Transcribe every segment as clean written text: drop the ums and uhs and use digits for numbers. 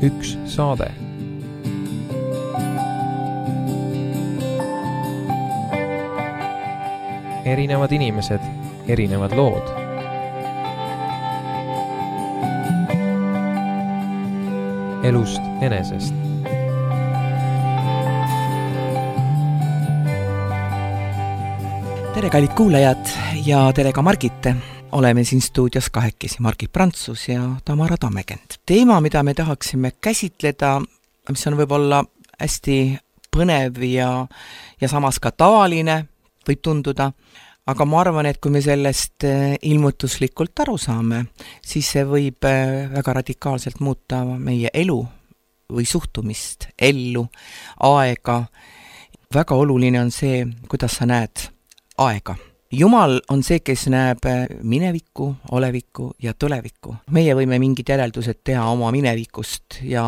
üks saade. Erinevad inimesed, erinevad lood. Elust enesest. Tere, kallid kuulajad ja tere ka Margit. Oleme siin stuudios kahekesi, Margit Prantsus ja Tamara Tammekend. Teema, mida me tahaksime käsitleda, mis on võib-olla hästi põnev ja samas ka tavaline, võib tunduda, aga ma arvan, et kui me sellest ilmutuslikult aru saame, siis see võib väga radikaalselt muuta meie elu või suhtumist, ellu, aega. Väga oluline on see, kuidas sa näed aega. Jumal on see, kes näeb minevikku, olevikku ja tulevikku. Meie võime mingid järeldused teha oma minevikust ja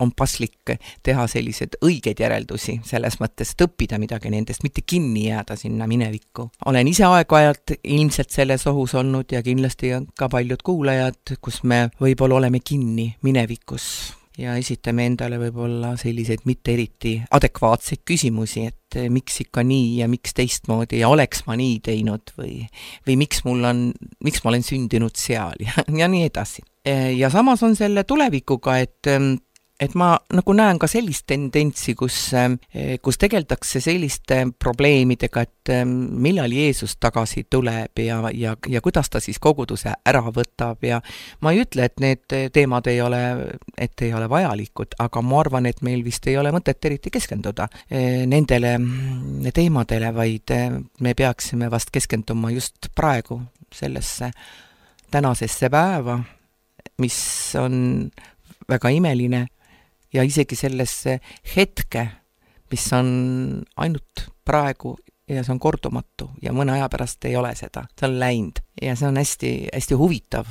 on paslik teha sellised õiged järeldusi, selles mõttes, et õppida midagi nendest, mitte kinni jääda sinna minevikku. Olen ise aeg-ajalt ilmselt selles ohus olnud ja kindlasti ka paljud kuulajad, kus me võib-olla oleme kinni minevikus ja esitame endale võib-olla selliseid mitte eriti adekvaatseid küsimusi, et miks ikka nii ja miks teistmoodi ja oleks ma nii teinud või miks ma olen sündinud seal ja nii edasi. Ja samas on selle tulevikuga, et ma nagu näen ka sellist tendentsi, kus tegeldakse selliste probleemidega, et millal Jeesus tagasi tuleb ja kuidas ta siis koguduse ära võtab ja ma ei ütle, et need teemad ei ole vajalikud, aga ma arvan, et meil vist ei ole mõtet eriti keskenduda nendele teemadele, vaid me peaksime vast keskenduma just praegu sellesse tänasesse päeva, mis on väga imeline ja isegi sellesse hetke, mis on ainult praegu ja see on kordumatu ja mõne aja pärast ei ole seda. See on läinud ja see on hästi, hästi huvitav.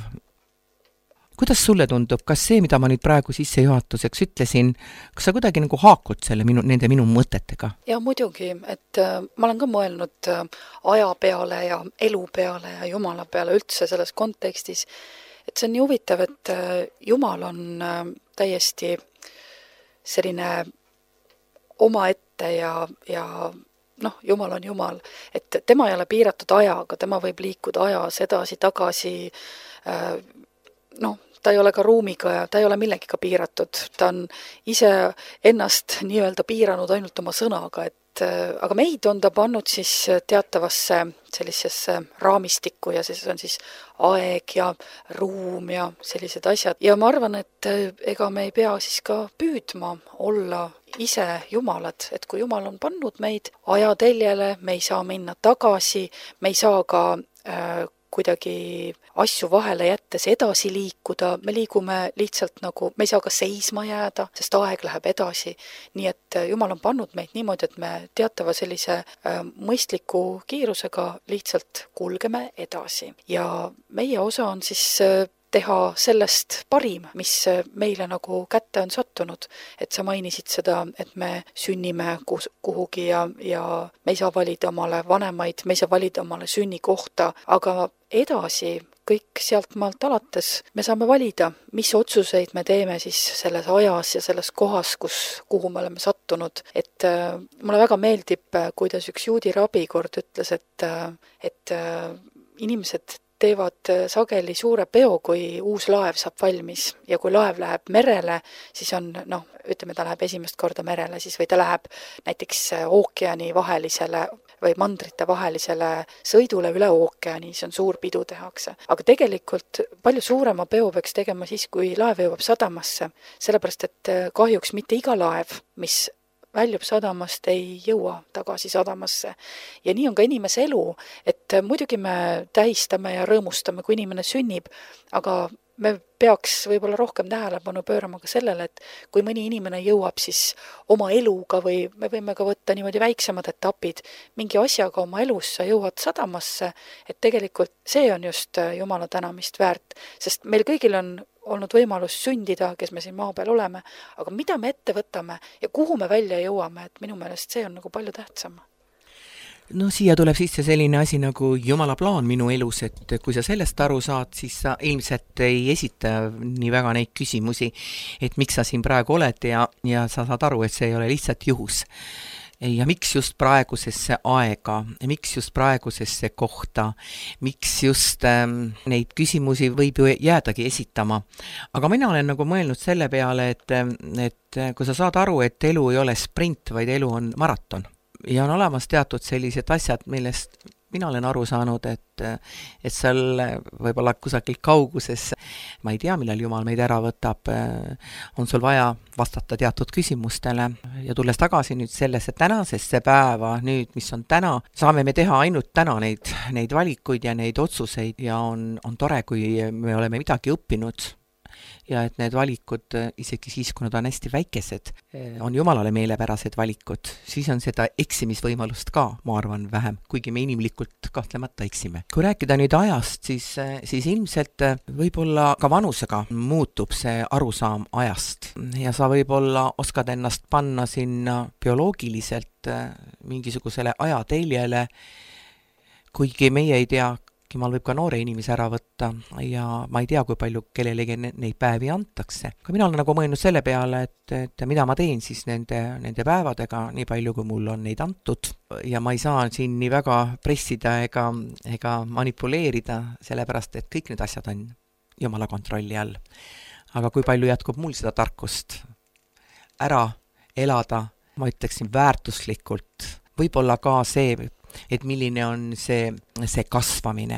Kuidas sulle tundub, kas see, mida ma nüüd praegu sissejuhatuseks ütlesin, kas sa kuidagi nagu haakud nende minu mõtetega? Ja muidugi, et ma olen ka mõelnud aja peale ja elu peale ja Jumala peale üldse selles kontekstis, et see on nii huvitav, et Jumal on täiesti selline omaette ja Jumal on Jumal, et tema ei ole piiratud ajaga, tema võib liikuda ajas edasi, tagasi, ta ei ole ka ruumiga ja ta ei ole millegiga piiratud, ta on ise ennast nii-öelda piiranud ainult oma sõnaga, aga meid on ta pannud siis teatavasse sellisesse raamistikku ja see on siis aeg ja ruum ja sellised asjad. Ja ma arvan, et ega me ei pea siis ka püüdma olla ise jumalad, et kui Jumal on pannud meid ajateljele, me ei saa minna tagasi, me ei saa ka kuidagi asju vahele jättes edasi liikuda, me liigume lihtsalt nagu, me ei saa ka seisma jääda, sest aeg läheb edasi. Nii et Jumal on pannud meid niimoodi, et me teatava sellise mõistliku kiirusega lihtsalt kulgeme edasi. Ja meie osa on siis teha sellest parim, mis meile nagu kätte on sattunud. Et sa mainisid seda, et me sünnime kuhugi ja me ei saa valida omale vanemaid, me ei saa valida omale sünnikohta, aga edasi kõik sealt maalt alates me saame valida, mis otsuseid me teeme siis selles ajas ja selles kohas, kuhu me oleme sattunud. Et mulle väga meeldib, kuidas üks juudi rabi kord ütles, et inimesed teevad sageli suure peo, kui uus laev saab valmis ja kui laev läheb merele, siis on, ütleme, ta läheb esimest korda merele siis või ta läheb näiteks ookeani vahelisele või mandrite vahelisele sõidule üle ookeani, see on suur pidu tehakse. Aga tegelikult palju suurema peo peaks tegema siis, kui laev jõuab sadamasse, sellepärast et kahjuks mitte iga laev, mis väljub sadamast, ei jõua tagasi sadamasse. Ja nii on ka inimese elu, et muidugi me tähistame ja rõõmustame, kui inimene sünnib, aga me peaks võib-olla rohkem tähelepanu pöörama ka sellele, et kui mõni inimene jõuab siis oma eluga või me võime ka võtta niimoodi väiksemad etapid, mingi asjaga oma elus sa jõuad sadamasse, et tegelikult see on just Jumala tänamist väärt, sest meil kõigil on olnud võimalus sündida, kes me siin maa peal oleme, aga mida me ette võtame ja kuhu me välja jõuame, et minu meelest see on nagu palju tähtsam. No siia tuleb sisse selline asi nagu Jumala plaan minu elus, et kui sa sellest aru saad, siis sa ilmselt ei esita nii väga neid küsimusi, et miks sa siin praegu oled ja sa saad aru, et see ei ole lihtsalt juhus. Ja miks just praegusesse aega, miks just praegusesse kohta, miks just neid küsimusi võib ju jäädagi esitama. Aga mina olen nagu mõelnud selle peale, et kui sa saad aru, et elu ei ole sprint, vaid elu on maraton. Ja on olemas teatud sellised asjad, millest mina olen aru saanud, et seal võib-olla kusagil kauguses, ma ei tea, millal Jumal meid ära võtab, on sul vaja vastata teatud küsimustele ja tulles tagasi nüüd sellesse tänasesse päeva, nüüd, mis on täna, saame me teha ainult täna neid valikuid ja neid otsuseid ja on tore, kui me oleme midagi õppinud ja et need valikud, isegi siis, kui nad on hästi väikesed, on Jumalale meelepärased valikud, siis on seda eksimisvõimalust ka, ma arvan, vähem, kuigi me inimlikult kahtlemata eksime. Kui rääkida nüüd ajast, siis ilmselt võib-olla ka vanusega muutub see arusaam ajast ja sa võib-olla oskad ennast panna sinna bioloogiliselt mingisugusele ajateljele, kuigi meie ei tea, Jumal võib ka noore inimese ära võtta ja ma ei tea, kui palju kellelegi neid päevi antakse. Aga mina olen nagu mõelnud selle peale, et mida ma teen siis nende päevadega, nii palju kui mul on neid antud. Ja ma ei saa siin nii väga pressida ega manipuleerida, sellepärast, et kõik need asjad on Jumala kontrolli all. Aga kui palju jätkub mul seda tarkust ära elada, ma ütleksin väärtuslikult, võib-olla ka see, et milline on see kasvamine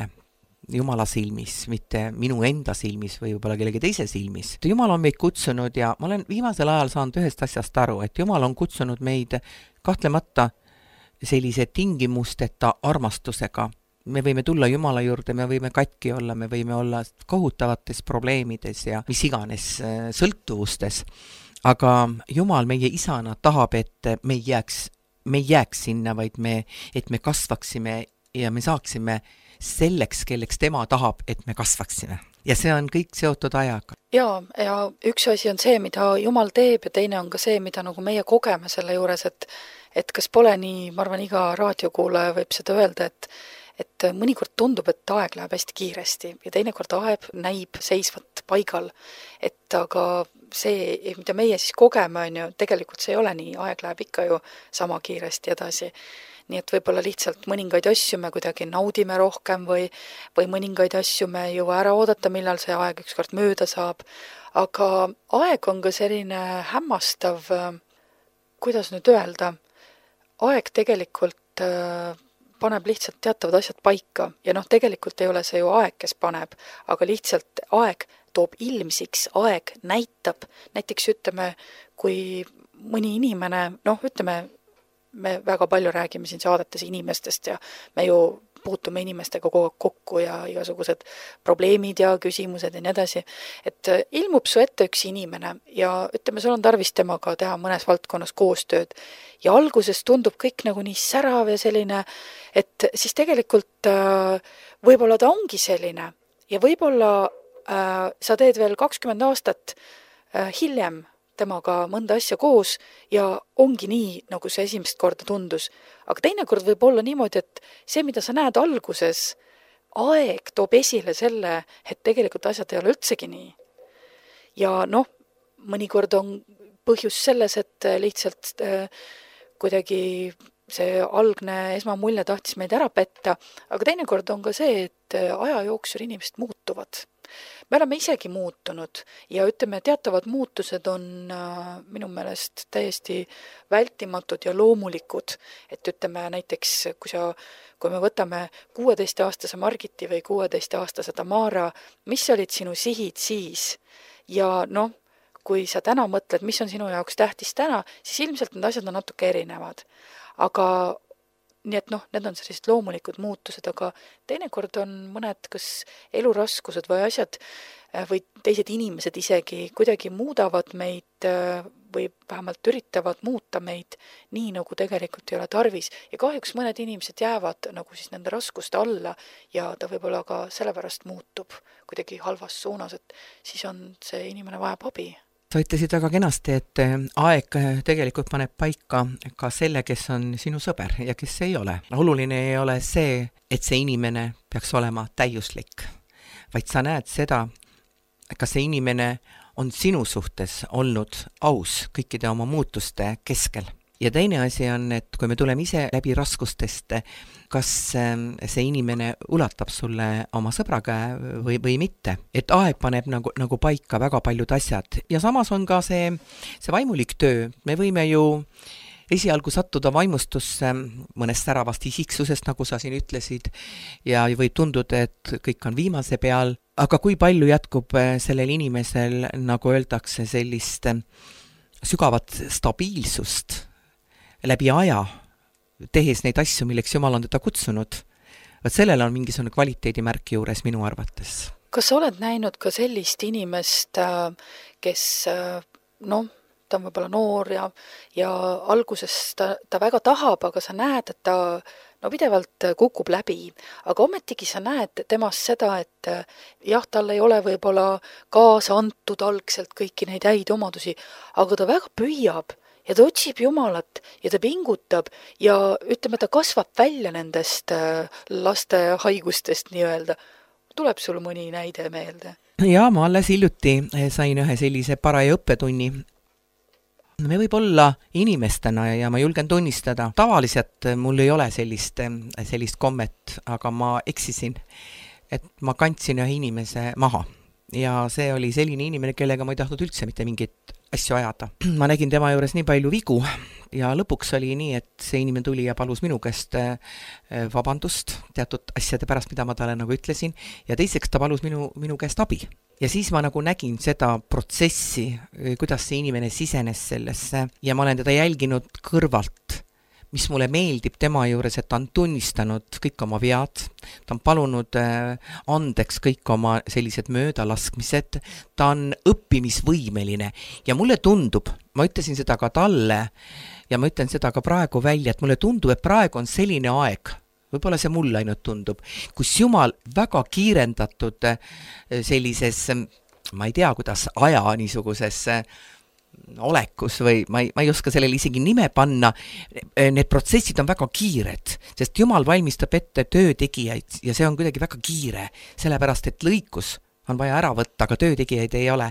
Jumala silmis, mitte minu enda silmis või võib-olla kellegi teise silmis. Jumal on meid kutsunud ja ma olen viimasel ajal saanud ühest asjast aru, et Jumal on kutsunud meid kahtlemata sellise tingimusteta armastusega. Me võime tulla Jumala juurde, me võime katki olla, me võime olla kohutavates probleemides ja mis iganes sõltuvustes. Aga Jumal meie isana tahab, et me ei jääks sinna, vaid et me kasvaksime ja me saaksime selleks, kelleks tema tahab, et me kasvaksime. Ja see on kõik seotud ajaga. Ja üks asi on see, mida Jumal teeb ja teine on ka see, mida nagu meie kogeme selle juures, et kas pole nii, ma arvan, iga raadiokuulaja võib seda öelda, et mõnikord tundub, et aeg läheb hästi kiiresti ja teinekord aeg näib seisvat paigal, et aga see, mida meie siis kogeme, on ju, tegelikult see ei ole nii, aeg läheb ikka ju sama kiiresti edasi. Nii et võib-olla lihtsalt mõningaid asju me kuidagi naudime rohkem või mõningaid asju me ei jõua ära oodata, millal see aeg ükskord mööda saab. Aga aeg on ka selline hämmastav, kuidas nüüd öelda, aeg tegelikult paneb lihtsalt teatavad asjad paika ja tegelikult ei ole see ju aeg, kes paneb, aga lihtsalt aeg toob ilmsiks, aeg näitab, näiteks ütleme, kui mõni inimene, ütleme, me väga palju räägime siin saadetes inimestest ja me ju puutume inimestega kogu aeg kokku ja igasugused probleemid ja küsimused ja nii edasi, et ilmub su ette üks inimene ja ütleme, sul on tarvis temaga teha mõnes valdkonnas koostööd ja alguses tundub kõik nagu nii särav ja selline, et siis tegelikult võib-olla ta ongi selline ja võib-olla sa teed veel 20 aastat hiljem temaga mõnda asja koos ja ongi nii, nagu see esimest korda tundus. Aga teinekord võib olla niimoodi, et see, mida sa näed alguses, aeg toob esile selle, et tegelikult asjad ei ole üldsegi nii. Ja mõnikord on põhjus selles, et lihtsalt kuidagi see algne esmamulje tahtis meid ära petta, aga teinekord on ka see, et aja jooksul inimesed muutuvad. Me oleme isegi muutunud ja ütleme, teatavad muutused on minu meelest täiesti vältimatud ja loomulikud, et ütleme näiteks, kui me võtame 16-aastase Margiti või 16-aastase Tamara, mis olid sinu sihid siis ja kui sa täna mõtled, mis on sinu jaoks tähtis täna, siis ilmselt need asjad on natuke erinevad, aga nii et need on sellised loomulikud muutused, aga teinekord on mõned kas eluraskused või asjad või teised inimesed isegi kuidagi muudavad meid või vähemalt üritavad muuta meid nii, nagu tegelikult ei ole tarvis. Ja kahjuks mõned inimesed jäävad nagu siis nende raskuste alla ja ta võib-olla ka sellepärast muutub kuidagi halvas suunas, et siis on see inimene vajab abi. Sa ütlesid väga kenasti, et aeg tegelikult paneb paika ka selle, kes on sinu sõber ja kes ei ole. Oluline ei ole see, et see inimene peaks olema täiuslik, vaid sa näed seda, kas see inimene on sinu suhtes olnud aus kõikide oma muutuste keskel. Ja teine asi on, et kui me tuleme ise läbi raskustest, kas see inimene ulatab sulle oma sõbra käe või mitte. Et aeg paneb nagu paika väga paljud asjad. Ja samas on ka see vaimulik töö. Me võime ju esialgu sattuda vaimustusse mõnest säravast isiksusest, nagu sa siin ütlesid, ja võib tunduda, et kõik on viimase peal. Aga kui palju jätkub sellel inimesel, nagu öeldakse, sellist sügavat stabiilsust läbi aja, tehes neid asju, milleks Jumal on teda kutsunud, et sellel on mingisugune kvaliteedimärk juures minu arvates. Kas sa oled näinud ka sellist inimest, kes, ta on võib-olla noor ja alguses ta väga tahab, aga sa näed, et ta pidevalt kukub läbi, aga ometigi sa näed temast seda, et jah, tal ei ole võib-olla kaasa antud algselt kõiki neid häid omadusi, aga ta väga püüab ja ta otsib Jumalat ja ta pingutab ja ütleme, ta kasvab välja nendest laste haigustest nii-öelda. Tuleb sul mõni näide meelde? Ja, ma alles hiljuti sain ühe sellise paraja õppetunni. Me võib olla inimestena ja ma julgen tunnistada. Tavaliselt mul ei ole sellist kommet, aga ma eksisin, et ma kandsin ühe inimese maha. Ja see oli selline inimene, kellega ma ei tahtnud üldse mitte mingit asju ajada. Ma nägin tema juures nii palju vigu ja lõpuks oli nii, et see inimene tuli ja palus minu käest vabandust teatud asjade pärast, mida ma talle nagu ütlesin, ja teiseks ta palus minu käest abi. Ja siis ma nagu nägin seda protsessi, kuidas see inimene sisenes sellesse ja ma olen teda jälginud kõrvalt, mis mulle meeldib tema juures, et ta on tunnistanud kõik oma vead, ta on palunud andeks kõik oma sellised möödalaskmised, ta on õppimisvõimeline ja mulle tundub, ma ütlesin seda ka talle ja ma ütlen seda ka praegu välja, et mulle tundub, et praegu on selline aeg, võib-olla see mulle ainult tundub, kus Jumal väga kiirendatud sellises, ma ei tea, kuidas aja niisuguses olekus või ma ei oska sellele isegi nime panna, need protsessid on väga kiired, sest Jumal valmistab ette töötegijaid ja see on kuidagi väga kiire, sellepärast et lõikus on vaja ära võtta, aga töötegijaid ei ole.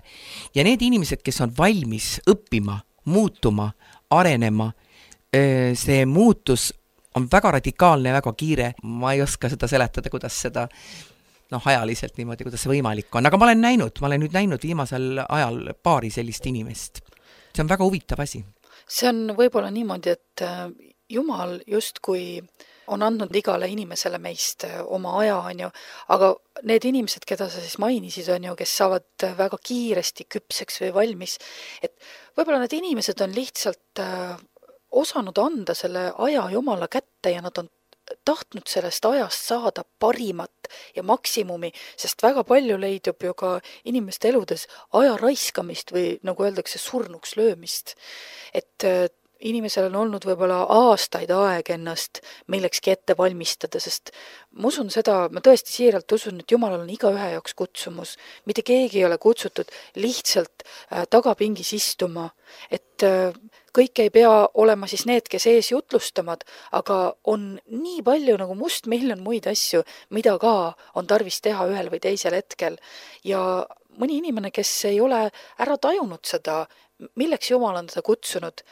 Ja need inimesed, kes on valmis õppima, muutuma, arenema, see muutus on väga radikaalne ja väga kiire, ma ei oska seda seletada, kuidas seda ajaliselt niimoodi, kuidas see võimalik on, aga ma olen nüüd näinud viimasel ajal paari sellist inimest. See on väga huvitav asi. See on võib-olla niimoodi, et Jumal justkui on andnud igale inimesele meist oma aja, on ju, aga need inimesed, keda sa siis mainisid, on ju, kes saavad väga kiiresti küpseks või valmis, et võib-olla need inimesed on lihtsalt osanud anda selle aja Jumala kätte ja nad on tahtnud sellest ajast saada parimat ja maksimumi, sest väga palju leidub ju ka inimeste eludes aja raiskamist või nagu öeldakse, surnuks löömist. Et inimesel on olnud võib-olla aastaid aeg ennast millekski ette valmistada, sest ma usun seda, ma tõesti siiralt usun, et Jumalal on igaühe jaoks kutsumus. Mitte keegi ei ole kutsutud lihtsalt tagapingis istuma, et kõik ei pea olema siis need, kes ees jutlustamad, aga on nii palju nagu mustmiljon muid asju, mida ka on tarvis teha ühel või teisel hetkel. Ja mõni inimene, kes ei ole ära tajunud seda, milleks Jumal on teda kutsunud,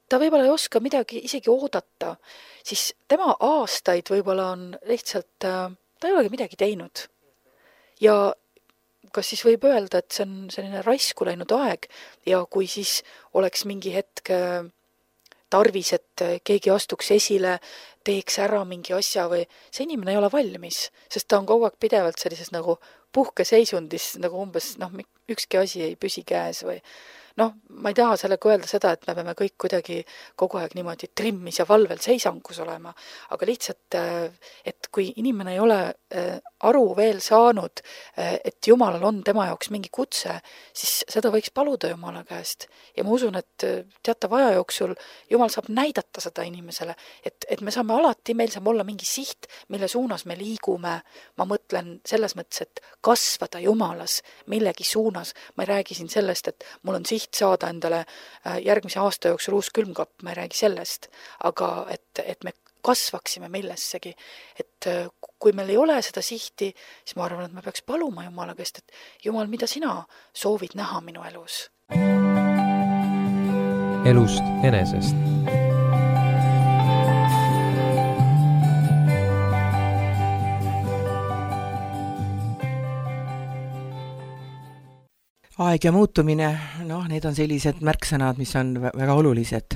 ta võib-olla ei oska midagi isegi oodata, siis tema aastaid võib-olla on lihtsalt, ta ei olegi midagi teinud. Ja kas siis võib öelda, et see on selline raisku läinud aeg ja kui siis oleks mingi hetk tarvis, et keegi astuks esile, teeks ära mingi asja või see inimene ei ole valmis, sest ta on kogu aeg pidevalt sellises nagu puhkeseisundis, nagu umbes ükski asi ei püsi käes või ma ei taha sellega öelda seda, et me peame kõik kuidagi kogu aeg niimoodi trimmis ja valvel seisangus olema, aga lihtsalt, et kui inimene ei ole aru veel saanud, et Jumalal on tema jaoks mingi kutse, siis seda võiks paluda Jumala käest. Ja ma usun, et teatav aja jooksul Jumal saab näidata näidata seda inimesele, et me saame alati, meil saab olla mingi siht, mille suunas me liigume. Ma mõtlen selles mõttes, et kasvada Jumalas millegi suunas. Ma ei räägi siin sellest, et mul on siht saada endale järgmise aasta jooksul uus külmkapp, ma ei räägi sellest, aga et me kasvaksime millessegi. Et kui meil ei ole seda sihti, siis ma arvan, et me peaks paluma Jumala käest, et Jumal, mida sina soovid näha minu elus? Elust enesest. Aeg ja muutumine, need on sellised märksõnad, mis on väga olulised.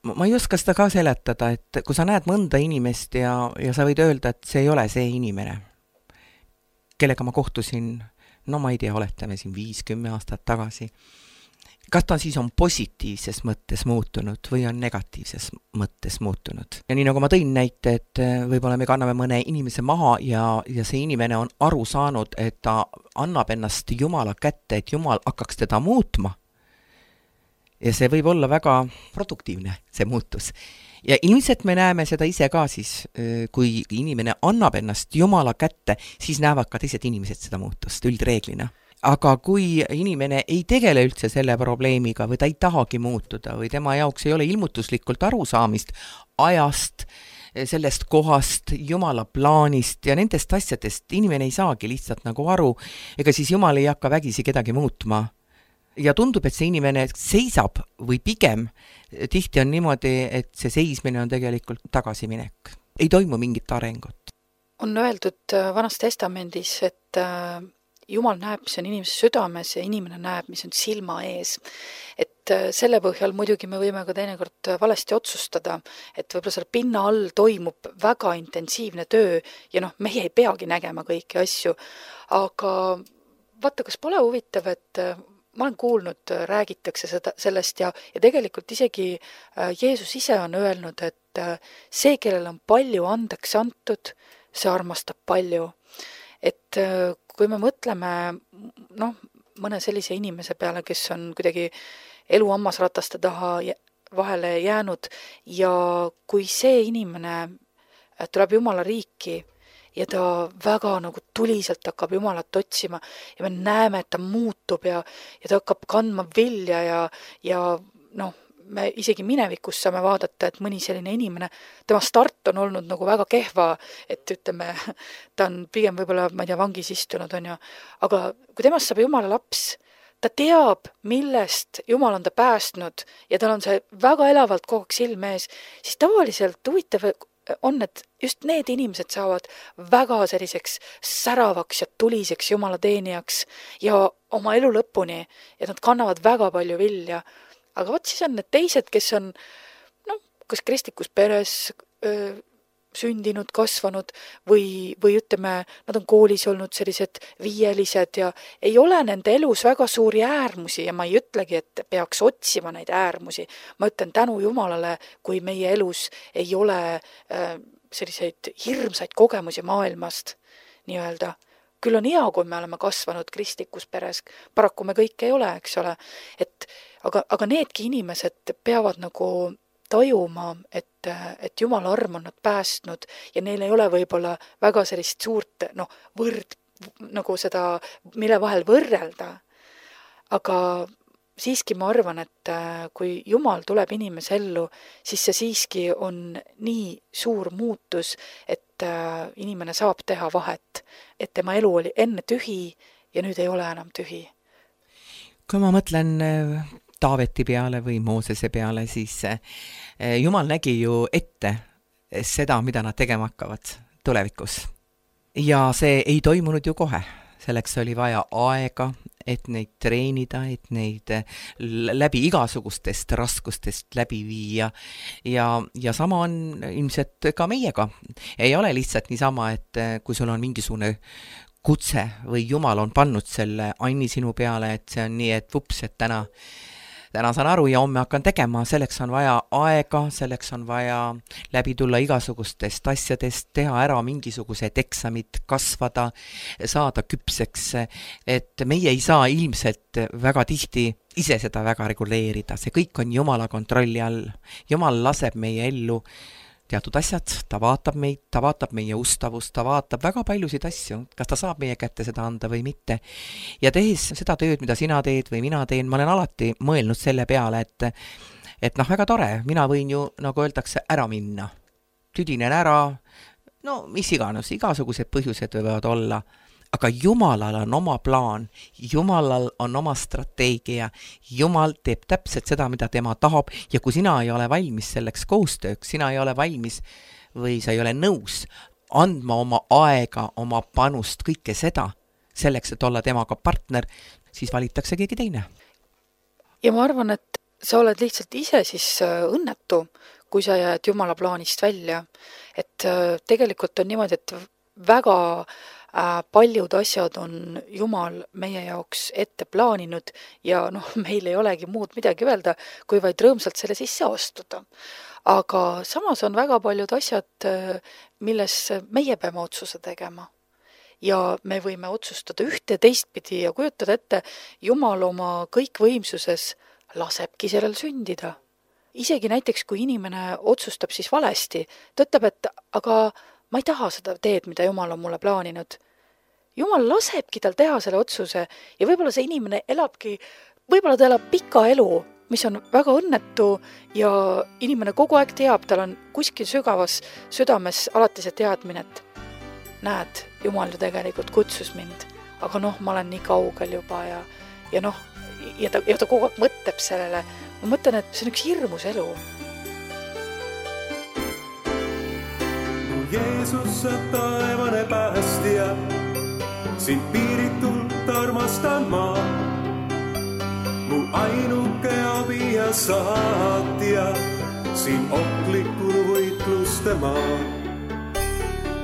Ma ei oska seda ka seletada, et kui sa näed mõnda inimest ja sa võid öelda, et see ei ole see inimene, kellega ma kohtusin, ma ei tea, oletame siin 5-10 aastat tagasi. Kas ta siis on positiivses mõttes muutunud või on negatiivses mõttes muutunud? Ja nii nagu ma tõin näite, et võib-olla me kanname mõne inimese maha ja see inimene on aru saanud, et ta annab ennast Jumala kätte, et Jumal hakkaks teda muutma. Ja see võib olla väga produktiivne, see muutus. Ja ilmselt me näeme seda ise ka siis, kui inimene annab ennast Jumala kätte, siis näevad ka teised inimesed seda muutust üldreeglina. Aga kui inimene ei tegele üldse selle probleemiga või ta ei tahagi muutuda või tema jaoks ei ole ilmutuslikult arusaamist ajast, sellest kohast, Jumala plaanist ja nendest asjadest, inimene ei saagi lihtsalt nagu aru, ega siis Jumal ei hakka vägisi kedagi muutma. Ja tundub, et see inimene seisab või pigem tihti on niimoodi, et see seismine on tegelikult tagasiminek. Ei toimu mingit arengut. On öeldud Vanas Testamendis, et Jumal näeb, mis on inimese südames ja inimene näeb, mis on silma ees. Et selle põhjal muidugi me võime ka teinekord valesti otsustada, et võib-olla selle pinna all toimub väga intensiivne töö ja meie ei peagi nägema kõiki asju. Aga vaata, kas pole huvitav, et ma olen kuulnud, räägitakse sellest ja tegelikult isegi Jeesus ise on öelnud, et see, kellel on palju andeks antud, see armastab palju. Et kui me mõtleme mõne sellise inimese peale, kes on kuidagi elu hammasrataste taha vahele jäänud ja kui see inimene tuleb Jumala riiki ja ta väga tuliselt hakkab Jumalat otsima ja me näeme, et ta muutub ja ta hakkab kandma vilja ja me isegi minevikus saame vaadata, et mõni selline inimene, tema start on olnud väga kehva, et ütleme, ta on pigem võib-olla, ma ei tea, vangis istunud on ju, aga kui temast saab Jumala laps, ta teab, millest Jumal on ta päästnud ja tal on see väga elavalt kogu aeg silme ees, siis tavaliselt huvitav on, et just need inimesed saavad väga selliseks säravaks ja tuliseks Jumala teenijaks ja oma elu lõpuni ja nad kannavad väga palju vilja. Aga vot siis on need teised, kes on kas kristlikus peres sündinud, kasvanud või ütleme, nad on koolis olnud sellised viielised ja ei ole nende elus väga suuri äärmusi ja ma ei ütlegi, et peaks otsima neid äärmusi. Ma ütlen tänu Jumalale, kui meie elus ei ole selliseid hirmsaid kogemusi maailmast nii-öelda. Küll on hea, kui me oleme kasvanud kristlikus peres, paraku me kõik ei ole, eks ole, aga needki inimesed peavad tajuma, et Jumala arm on nad päästnud ja neil ei ole võib-olla väga sellist suurt seda, mille vahel võrrelda. Aga siiski ma arvan, et kui Jumal tuleb inimese ellu, siis see siiski on nii suur muutus, et inimene saab teha vahet, et tema elu oli enne tühi ja nüüd ei ole enam tühi. Kui ma mõtlen Taaveti peale või Moosese peale, siis Jumal nägi ju ette seda, mida nad tegema hakkavad tulevikus. Ja see ei toimunud ju kohe. Selleks oli vaja aega, et neid treenida, et neid läbi igasugustest raskustest läbi viia. Ja sama on ilmselt ka meiega. Ei ole lihtsalt niisama, et kui sul on mingisugune kutse või Jumal on pannud selle Anni sinu peale, et see on nii, et vups, et täna täna saan aru ja homme hakkan tegema, selleks on vaja aega, selleks on vaja läbi tulla igasugustest asjadest, teha ära mingisugused eksamid, kasvada, saada küpseks, et meie ei saa ilmselt väga tihti ise seda väga reguleerida, see kõik on Jumala kontrolli all. Jumal laseb meie ellu teatud asjad, ta vaatab meid, ta vaatab meie ustavust, ta vaatab väga paljusid asju, kas ta saab meie kätte seda anda või mitte. Ja tehes seda tööd, mida sina teed või mina teen, ma olen alati mõelnud selle peale, et väga tore, mina võin ju, nagu öeldakse, ära minna. Tüdinen ära, no mis iganes, igasugused põhjused võivad olla, aga Jumalal on oma plaan, Jumalal on oma strateegia, Jumal teeb täpselt seda, mida tema tahab ja kui sina ei ole valmis selleks koostööks, sina ei ole valmis või sa ei ole nõus andma oma aega, oma panust, kõike seda, selleks, et olla temaga partner, siis valitakse keegi teine. Ja ma arvan, et sa oled lihtsalt ise siis õnnetu, kui sa jääd Jumala plaanist välja. Et tegelikult on niimoodi, et väga paljud asjad on Jumal meie jaoks ette plaaninud ja meil ei olegi muud midagi öelda, kui vaid rõõmsalt selle sisse astuda. Aga samas on väga paljud asjad, milles meie peame otsuse tegema. Ja me võime otsustada ühte teistpidi ja kujutada ette, Jumal oma kõikvõimsuses lasebki sellel sündida. Isegi näiteks, kui inimene otsustab siis valesti, ta ütleb, et aga ma ei taha seda teed, mida Jumal on mulle plaaninud. Jumal lasebki tal teha selle otsuse ja võib-olla see inimene võib-olla ta elab pika elu, mis on väga õnnetu ja inimene kogu aeg teab, tal on kuskil sügavas südames alati see teadmine, et näed, Jumal ju tegelikult kutsus mind, aga ma olen nii kaugel juba ja ta kogu aeg mõtleb sellele. Ma mõtlen, et see on üks hirmus elu. Jeesus, sa taevane päästja, sind piiritult armastan ma. Mu ainuke abi ja saatja, siin ohtlikul võitluste maa.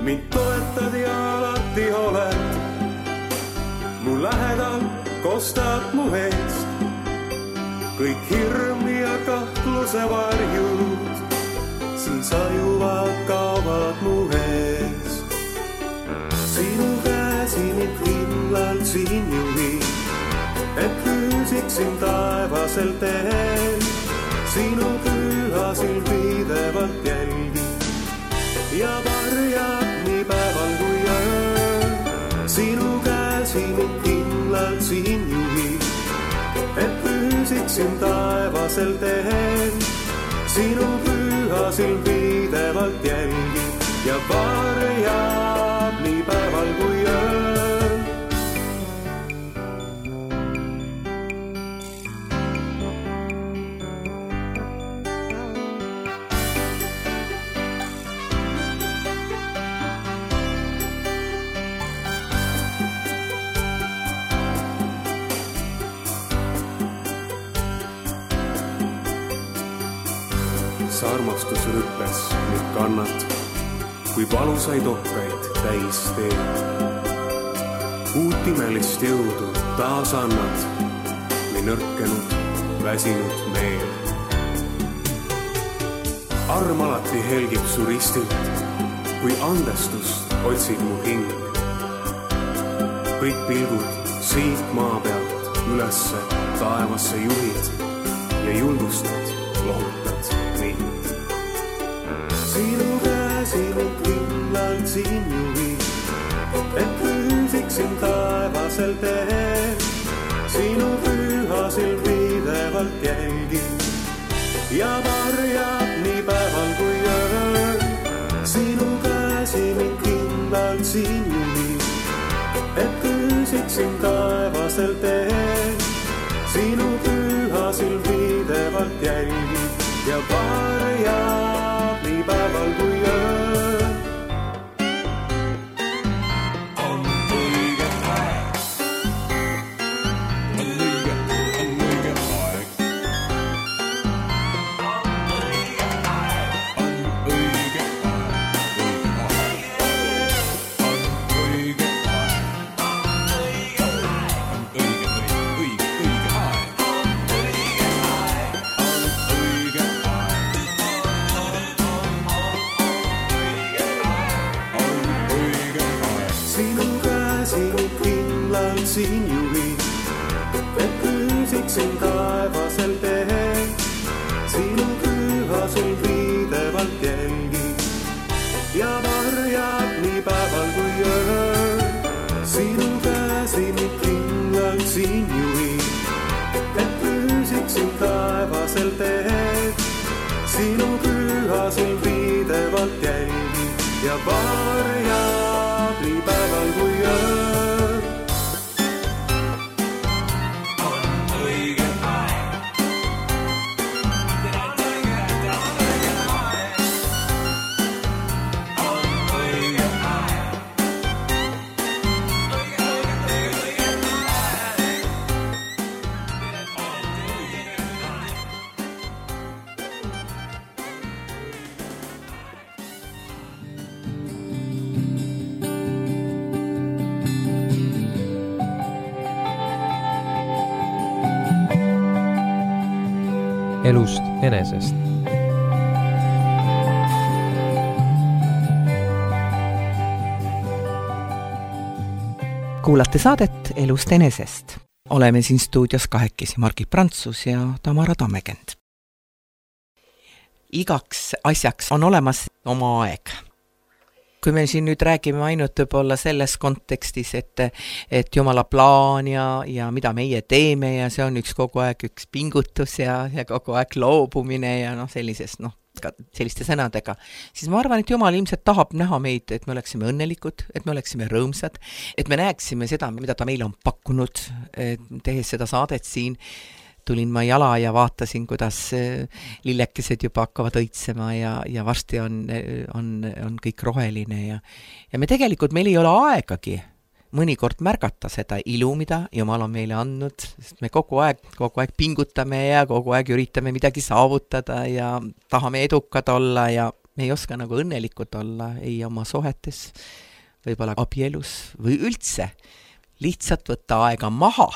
Mind toetad ja alati oled, mu lähedal kostad mu eest. Kõik hirm ja kahtluse varjud, siin sajuvad, kaovad mu eest. Sinu käsi mind kindlalt siin juhib, et püüsiksin taevasel teel. Sinu püha silm pidevalt jälgib ja varjab nii päeval kui ööl. Sinu käsi mind kindlalt siin juhib, et püüsiksin taevasel teel. Sinu püha silm pidevalt jälgib ja varjab nii päeval kui ööl. Sa armastus rüppes nüüd kannad, kui valusaid ohkaid täis teed. Uut imelist jõudu taas annad, nii nõrkenud, väsinud meel. Arm alati helgib su ristilt, kui andestust otsib mu hing. Kõik pilgud siit maa pealt ülesse taevasse juhid ja julgustad, lohutad mind. Sinu käsi mind kindlalt siin juhib, et püüsiksin taevasel teel. Sinu püha silm pidevalt jälgib ja varjab nii päeval kui ööl. Sinu käsi mind kindlalt siin juhib, et püüsiksin taevasel teel. Sinu püha silm pidevalt jälgib ja varjab nii päeval kui ööl. On õige aeg. On õige aeg. On õige aeg. On õige aeg. siin juhin, et püüsiksin taevasel teel. Sinu püha sul viidevalt jälgin ja varjab nii päeval kui ööl. Sinu käsi mind kindlalt siin juhin, et püüsiksin taevasel teel. Sinu püha sul viidevalt jälgin ja varjab nii päeval kui ööl. Elust enesest. Kuulate saadet Elust enesest. Oleme siin stuudios kahekesi Margit Prantsus ja Tamara Tammekend. Igaks asjaks on olemas oma aeg. Kui me siin nüüd räägime ainult võib-olla selles kontekstis, et Jumala plaan ja mida meie teeme ja see on kogu aeg üks pingutus ja kogu aeg loobumine ja selliste sõnadega, siis ma arvan, et Jumal ilmselt tahab näha meid, et me oleksime õnnelikud, et me oleksime rõõmsad, et me näeksime seda, mida ta meile on pakkunud, tehes seda saadet siin. Tulin ma jala ja vaatasin, kuidas lillekesed juba hakkavad õitsema ja varsti on kõik roheline ja me tegelikult, meil ei ole aegagi mõnikord märgata seda ilu, mida Jumal on meile andnud, sest me kogu aeg pingutame ja kogu aeg üritame midagi saavutada ja tahame edukad olla ja me ei oska nagu õnnelikud olla ei oma suhetes, võib-olla abielus või üldse lihtsalt võtta aega maha,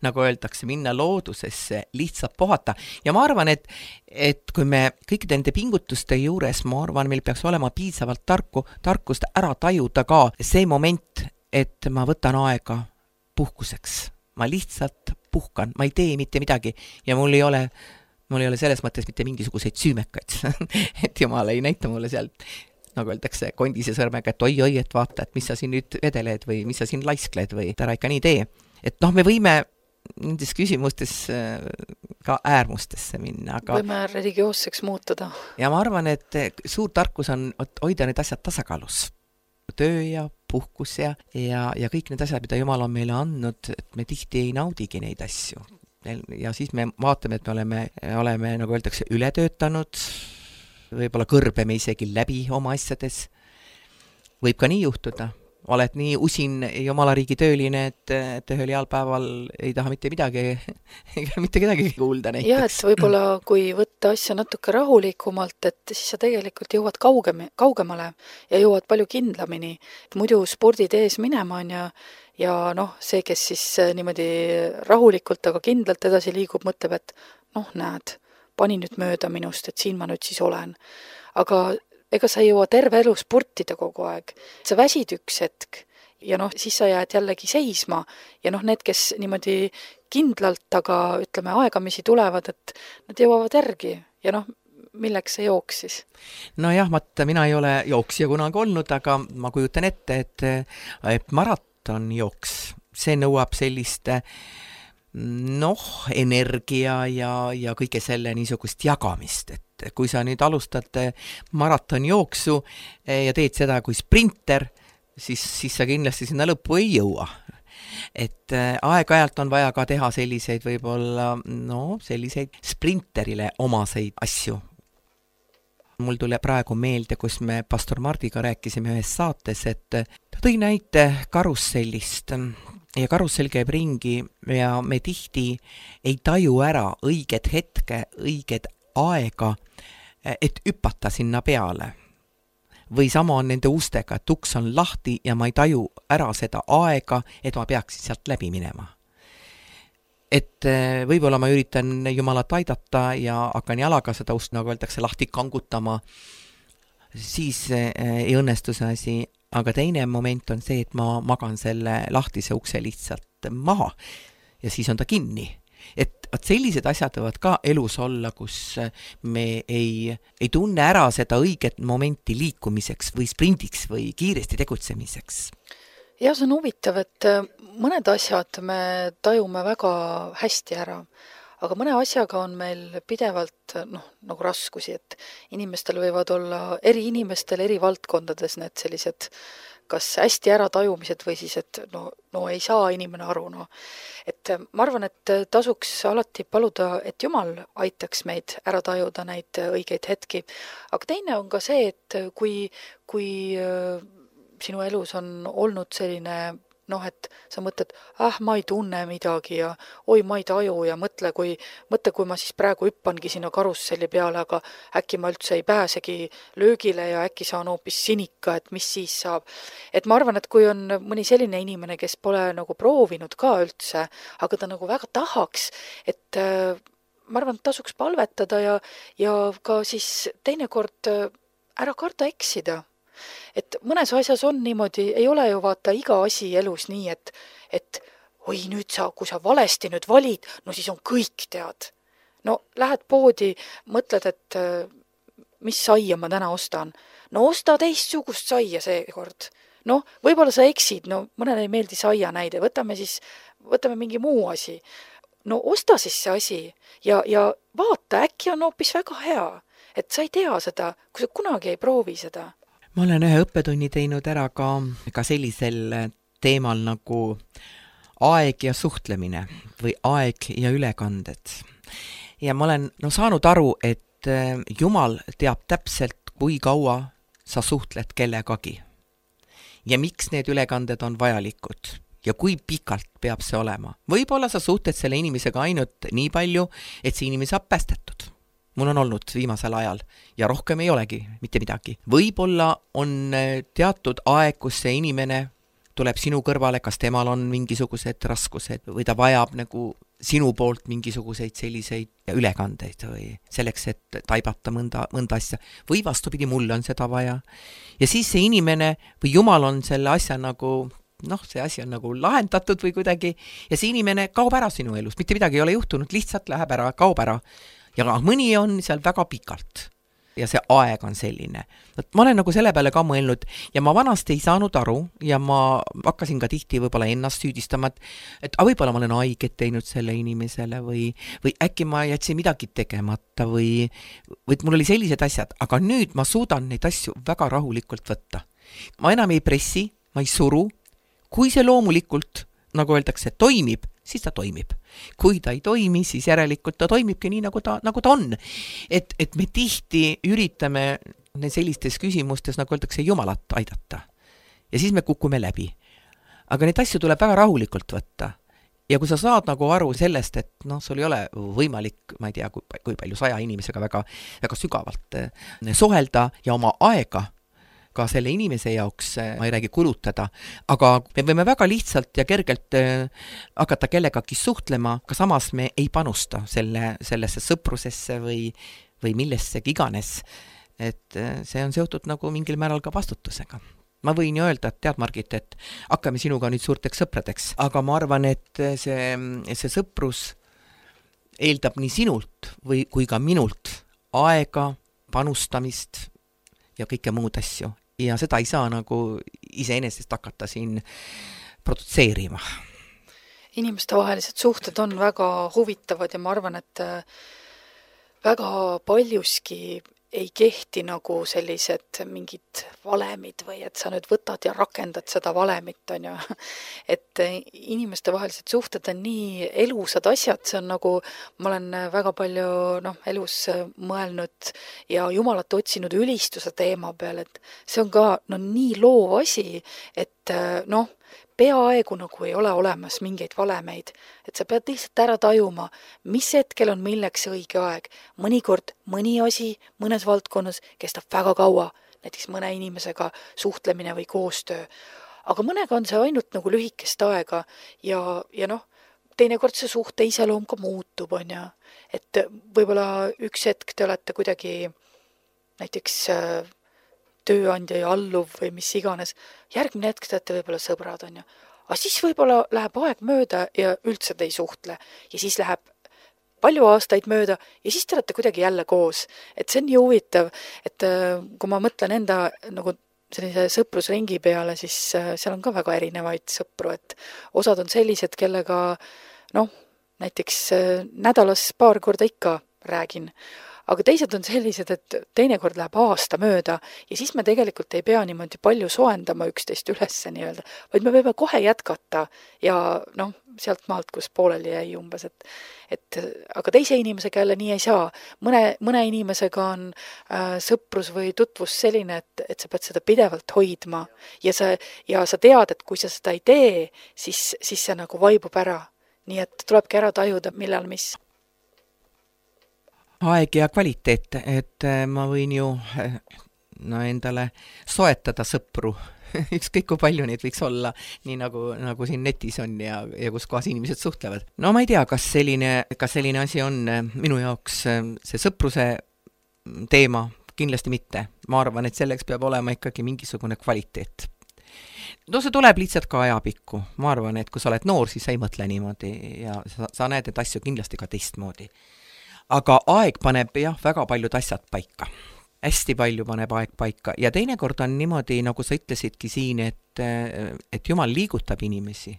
nagu öeldakse, minna loodusesse, lihtsalt puhata. Ja ma arvan, et kui me kõikide nende pingutuste juures, ma arvan, meil peaks olema piisavalt tarkust ära tajuda ka see moment, et ma võtan aega puhkuseks. Ma lihtsalt puhkan, ma ei tee mitte midagi ja mul ei ole selles mõttes mitte mingisuguseid süümekaid. Et Jumal ei näita mulle sealt, nagu öeldakse, kondise sõrmega, et oi, et vaata, et mis sa siin nüüd vedeled või mis sa siin laiskled või ära ikka nii tee. Et me võime nendes küsimustes ka äärmustesse minna. Aga võime religioosseks muutuda. Ja ma arvan, et suur tarkus on hoida need asjad tasakaalus. Töö ja puhkus ja kõik need asjad, mida Jumal on meile andnud, et me tihti ei naudigi neid asju. Ja siis me vaatame, et me oleme, nagu öeldakse, ületöötanud, võib-olla kõrbeme isegi läbi oma asjades. Võib ka nii juhtuda. Oled nii usin Jumala riigi tööline, et ühel heal päeval ei taha mitte midagi, mitte kedagi kuulda näiteks. Ja, et võib-olla kui võtta asja natuke rahulikumalt, et siis sa tegelikult jõuad kaugemale ja jõuad palju kindlamini. Muidu spordid ees minema on ja see, kes siis niimoodi rahulikult, aga kindlalt edasi liigub, mõtleb, et näed, pani nüüd mööda minust, et siin ma nüüd siis olen. Aga ega sa ei jõua terve elu sportida kogu aeg. Sa väsid üks hetk ja siis sa jääd jällegi seisma ja need, kes niimoodi kindlalt, aga ütleme aegamisi tulevad, et nad jõuavad järgi ja milleks see jooks siis? Nojah, mina ei ole jooksja kunagi olnud, aga ma kujutan ette, et maraton jooks, see nõuab sellist energia ja kõige selle niisugust jagamist, et kui sa nüüd alustad maratonjooksu ja teed seda kui sprinter, siis sa kindlasti sinna lõppu ei jõua. Et aeg-ajalt on vaja ka teha selliseid võib-olla, selliseid sprinterile omaseid asju. Mul tuli praegu meelde, kus me pastor Mardiga rääkisime ühes saates, et ta tõi näite karussellist ja karussell käib ringi ja me tihti ei taju ära õiget hetke, õiget aega, et hüpata sinna peale. Või sama on nende ustega, et uks on lahti ja ma ei taju ära seda aega, et ma peaksin sealt läbi minema. Et võib-olla ma üritan Jumalat aidata ja hakkan jalaga seda ust, nagu öeldakse, lahti kangutama, siis ei õnnestu see asi. Aga teine moment on see, et ma magan selle lahtise ukse lihtsalt maha ja siis on ta kinni. Et sellised asjad võivad ka elus olla, kus me ei tunne ära seda õiget momenti liikumiseks või sprindiks või kiiresti tegutsemiseks. Ja see on huvitav, et mõned asjad me tajume väga hästi ära, aga mõne asjaga on meil pidevalt nagu raskusi, et inimestel võivad olla eri inimestel eri valdkondades need sellised kas hästi ära tajumised või siis, et no ei saa inimene aru. Et ma arvan, et tasuks alati paluda, et Jumal aitaks meid ära tajuda neid õigeid hetki. Aga teine on ka see, et kui sinu elus on olnud selline, et sa mõtled, ma ei tunne midagi ja oi, ma ei taju ja mõtle, kui ma siis praegu hüppangi sinna karusselli peale, aga äkki ma üldse ei pääsegi löögile ja äkki saan hoopis sinika, et mis siis saab. Et ma arvan, et kui on mõni selline inimene, kes pole nagu proovinud ka üldse, aga ta nagu väga tahaks, et ma arvan, et tasuks palvetada ja ka siis teinekord ära karda eksida. Et mõnes asjas on niimoodi, ei ole ju vaata iga asi elus nii, et oi nüüd kui sa valesti nüüd valid, siis on kõik tead. Lähed poodi, mõtled, et mis saia ma täna ostan. Osta teistsugust saia seekord. Võib-olla sa eksid, mõnele ei meeldi saia näide, võtame mingi muu asi. Osta siis see asi ja vaata, äkki on hoopis väga hea, et sa ei tea seda, kui sa kunagi ei proovi seda. Ma olen ühe õppetunni teinud ära ka sellisel teemal nagu aeg ja suhtlemine või aeg ja ülekanded. Ja ma olen saanud aru, et Jumal teab täpselt, kui kaua sa suhtled kellegagi. Ja miks need ülekanded on vajalikud ja kui pikalt peab see olema. Võib-olla sa suhtled selle inimesega ainult nii palju, et see inimene saab päästetud. Mul on olnud viimasel ajal ja rohkem ei olegi mitte midagi. Võib-olla on teatud aeg, kus see inimene tuleb sinu kõrvale, kas temal on mingisugused raskused või ta vajab nagu sinu poolt mingisuguseid selliseid ülekandeid või selleks, et taibata mõnda asja. Või vastupidi, mulle on seda vaja. Ja siis see inimene või Jumal on selle asja nagu, see asi on nagu lahendatud või kuidagi ja see inimene kaob ära sinu elus. Mitte midagi ei ole juhtunud, lihtsalt läheb ära, kaob ära. Ja mõni on seal väga pikalt ja see aeg on selline. Ma olen nagu selle peale ka mõelnud ja ma vanasti ei saanud aru ja ma hakkasin ka tihti võib-olla ennast süüdistama, et võib-olla ma olen haiget teinud selle inimesele või äkki ma jätsin midagi tegemata või mul oli sellised asjad, aga nüüd ma suudan neid asju väga rahulikult võtta. Ma enam ei pressi, ma ei suru, kui see loomulikult, nagu öeldakse, toimib, siis ta toimib. Kui ta ei toimi, siis järelikult ta toimibki nii, nagu ta on. Et me tihti üritame sellistes küsimustes, nagu öeldakse, Jumalat aidata. Ja siis me kukume läbi. Aga neid asju tuleb väga rahulikult võtta. Ja kui sa saad nagu aru sellest, et sul ei ole võimalik, ma ei tea, kui palju 100 inimesega väga, väga sügavalt suhelda ja oma aega ka selle inimese jaoks, ma ei räägi kulutada, aga me võime väga lihtsalt ja kergelt hakata kellegagi suhtlema, aga samas me ei panusta sellesse sõprusesse või millessegi iganes. Et see on seotud nagu mingil määral ka vastutusega. Ma võin ju öelda, et tead, Margit, et hakkame sinuga nüüd suurteks sõpradeks, aga ma arvan, et see sõprus eeldab nii sinult kui ka minult aega, panustamist ja kõike muud asju. Ja seda ei saa nagu iseenesest hakata siin produtseerima. Inimeste vahelised suhted on väga huvitavad ja ma arvan, et väga paljuski ei kehti nagu sellised mingid valemid või et sa nüüd võtad ja rakendad seda valemit, on ju. Et inimeste vahelised suhted on nii elusad asjad, see on nagu, ma olen väga palju elus mõelnud ja Jumalat otsinud ülistuse teema peal, et see on ka nii loov asi, et peaaegu nagu ei ole olemas mingeid valemeid, et sa pead lihtsalt ära tajuma, mis hetkel on milleks õige aeg. Mõnikord mõni asi mõnes valdkonnas kestab väga kaua, näiteks mõne inimesega suhtlemine või koostöö. Aga mõnega on see ainult nagu lühikest aega ja teinekord see suhte iseloom ka muutub, on ja. Et võib-olla üks hetk te olete kuidagi näiteks tööandja ja alluv või mis iganes. Järgmine hetk te olete võib-olla sõbrad, on ju. aga siis võib-olla läheb aeg mööda ja üldse te ei suhtle. Ja siis läheb palju aastaid mööda ja siis te olete kuidagi jälle koos. Et see on nii huvitav, et kui ma mõtlen enda nagu sellise sõprusringi peale, siis seal on ka väga erinevaid sõpru, et osad on sellised, kellega näiteks nädalas paar korda ikka räägin. Aga teised on sellised, et teinekord läheb aasta mööda ja siis me tegelikult ei pea niimoodi palju soendama üksteist ülesse nii-öelda, vaid me võime kohe jätkata ja sealt maalt, kus pooleli jäi umbes, et aga teise inimesega jälle nii ei saa. Mõne inimesega on sõprus või tutvus selline, et sa pead seda pidevalt hoidma ja sa tead, et kui sa seda ei tee, siis see nagu vaibub ära. Nii et tulebki ära tajuda, millal mis. Aeg ja kvaliteet, et ma võin ju endale soetada sõpru, ükskõik kui palju neid võiks olla, nii nagu siin netis on ja kus kohas inimesed suhtlevad. No ma ei tea, kas selline asi on minu jaoks see sõpruse teema, kindlasti mitte. Ma arvan, et selleks peab olema ikkagi mingisugune kvaliteet. See tuleb lihtsalt ka ajapikku. Ma arvan, et kui sa oled noor, siis sa ei mõtle niimoodi ja sa näed et asju kindlasti ka teistmoodi. Aga aeg paneb väga paljud asjad paika. Hästi palju paneb aeg paika. Ja teinekord on niimoodi, nagu sa ütlesidki siin, et Jumal liigutab inimesi.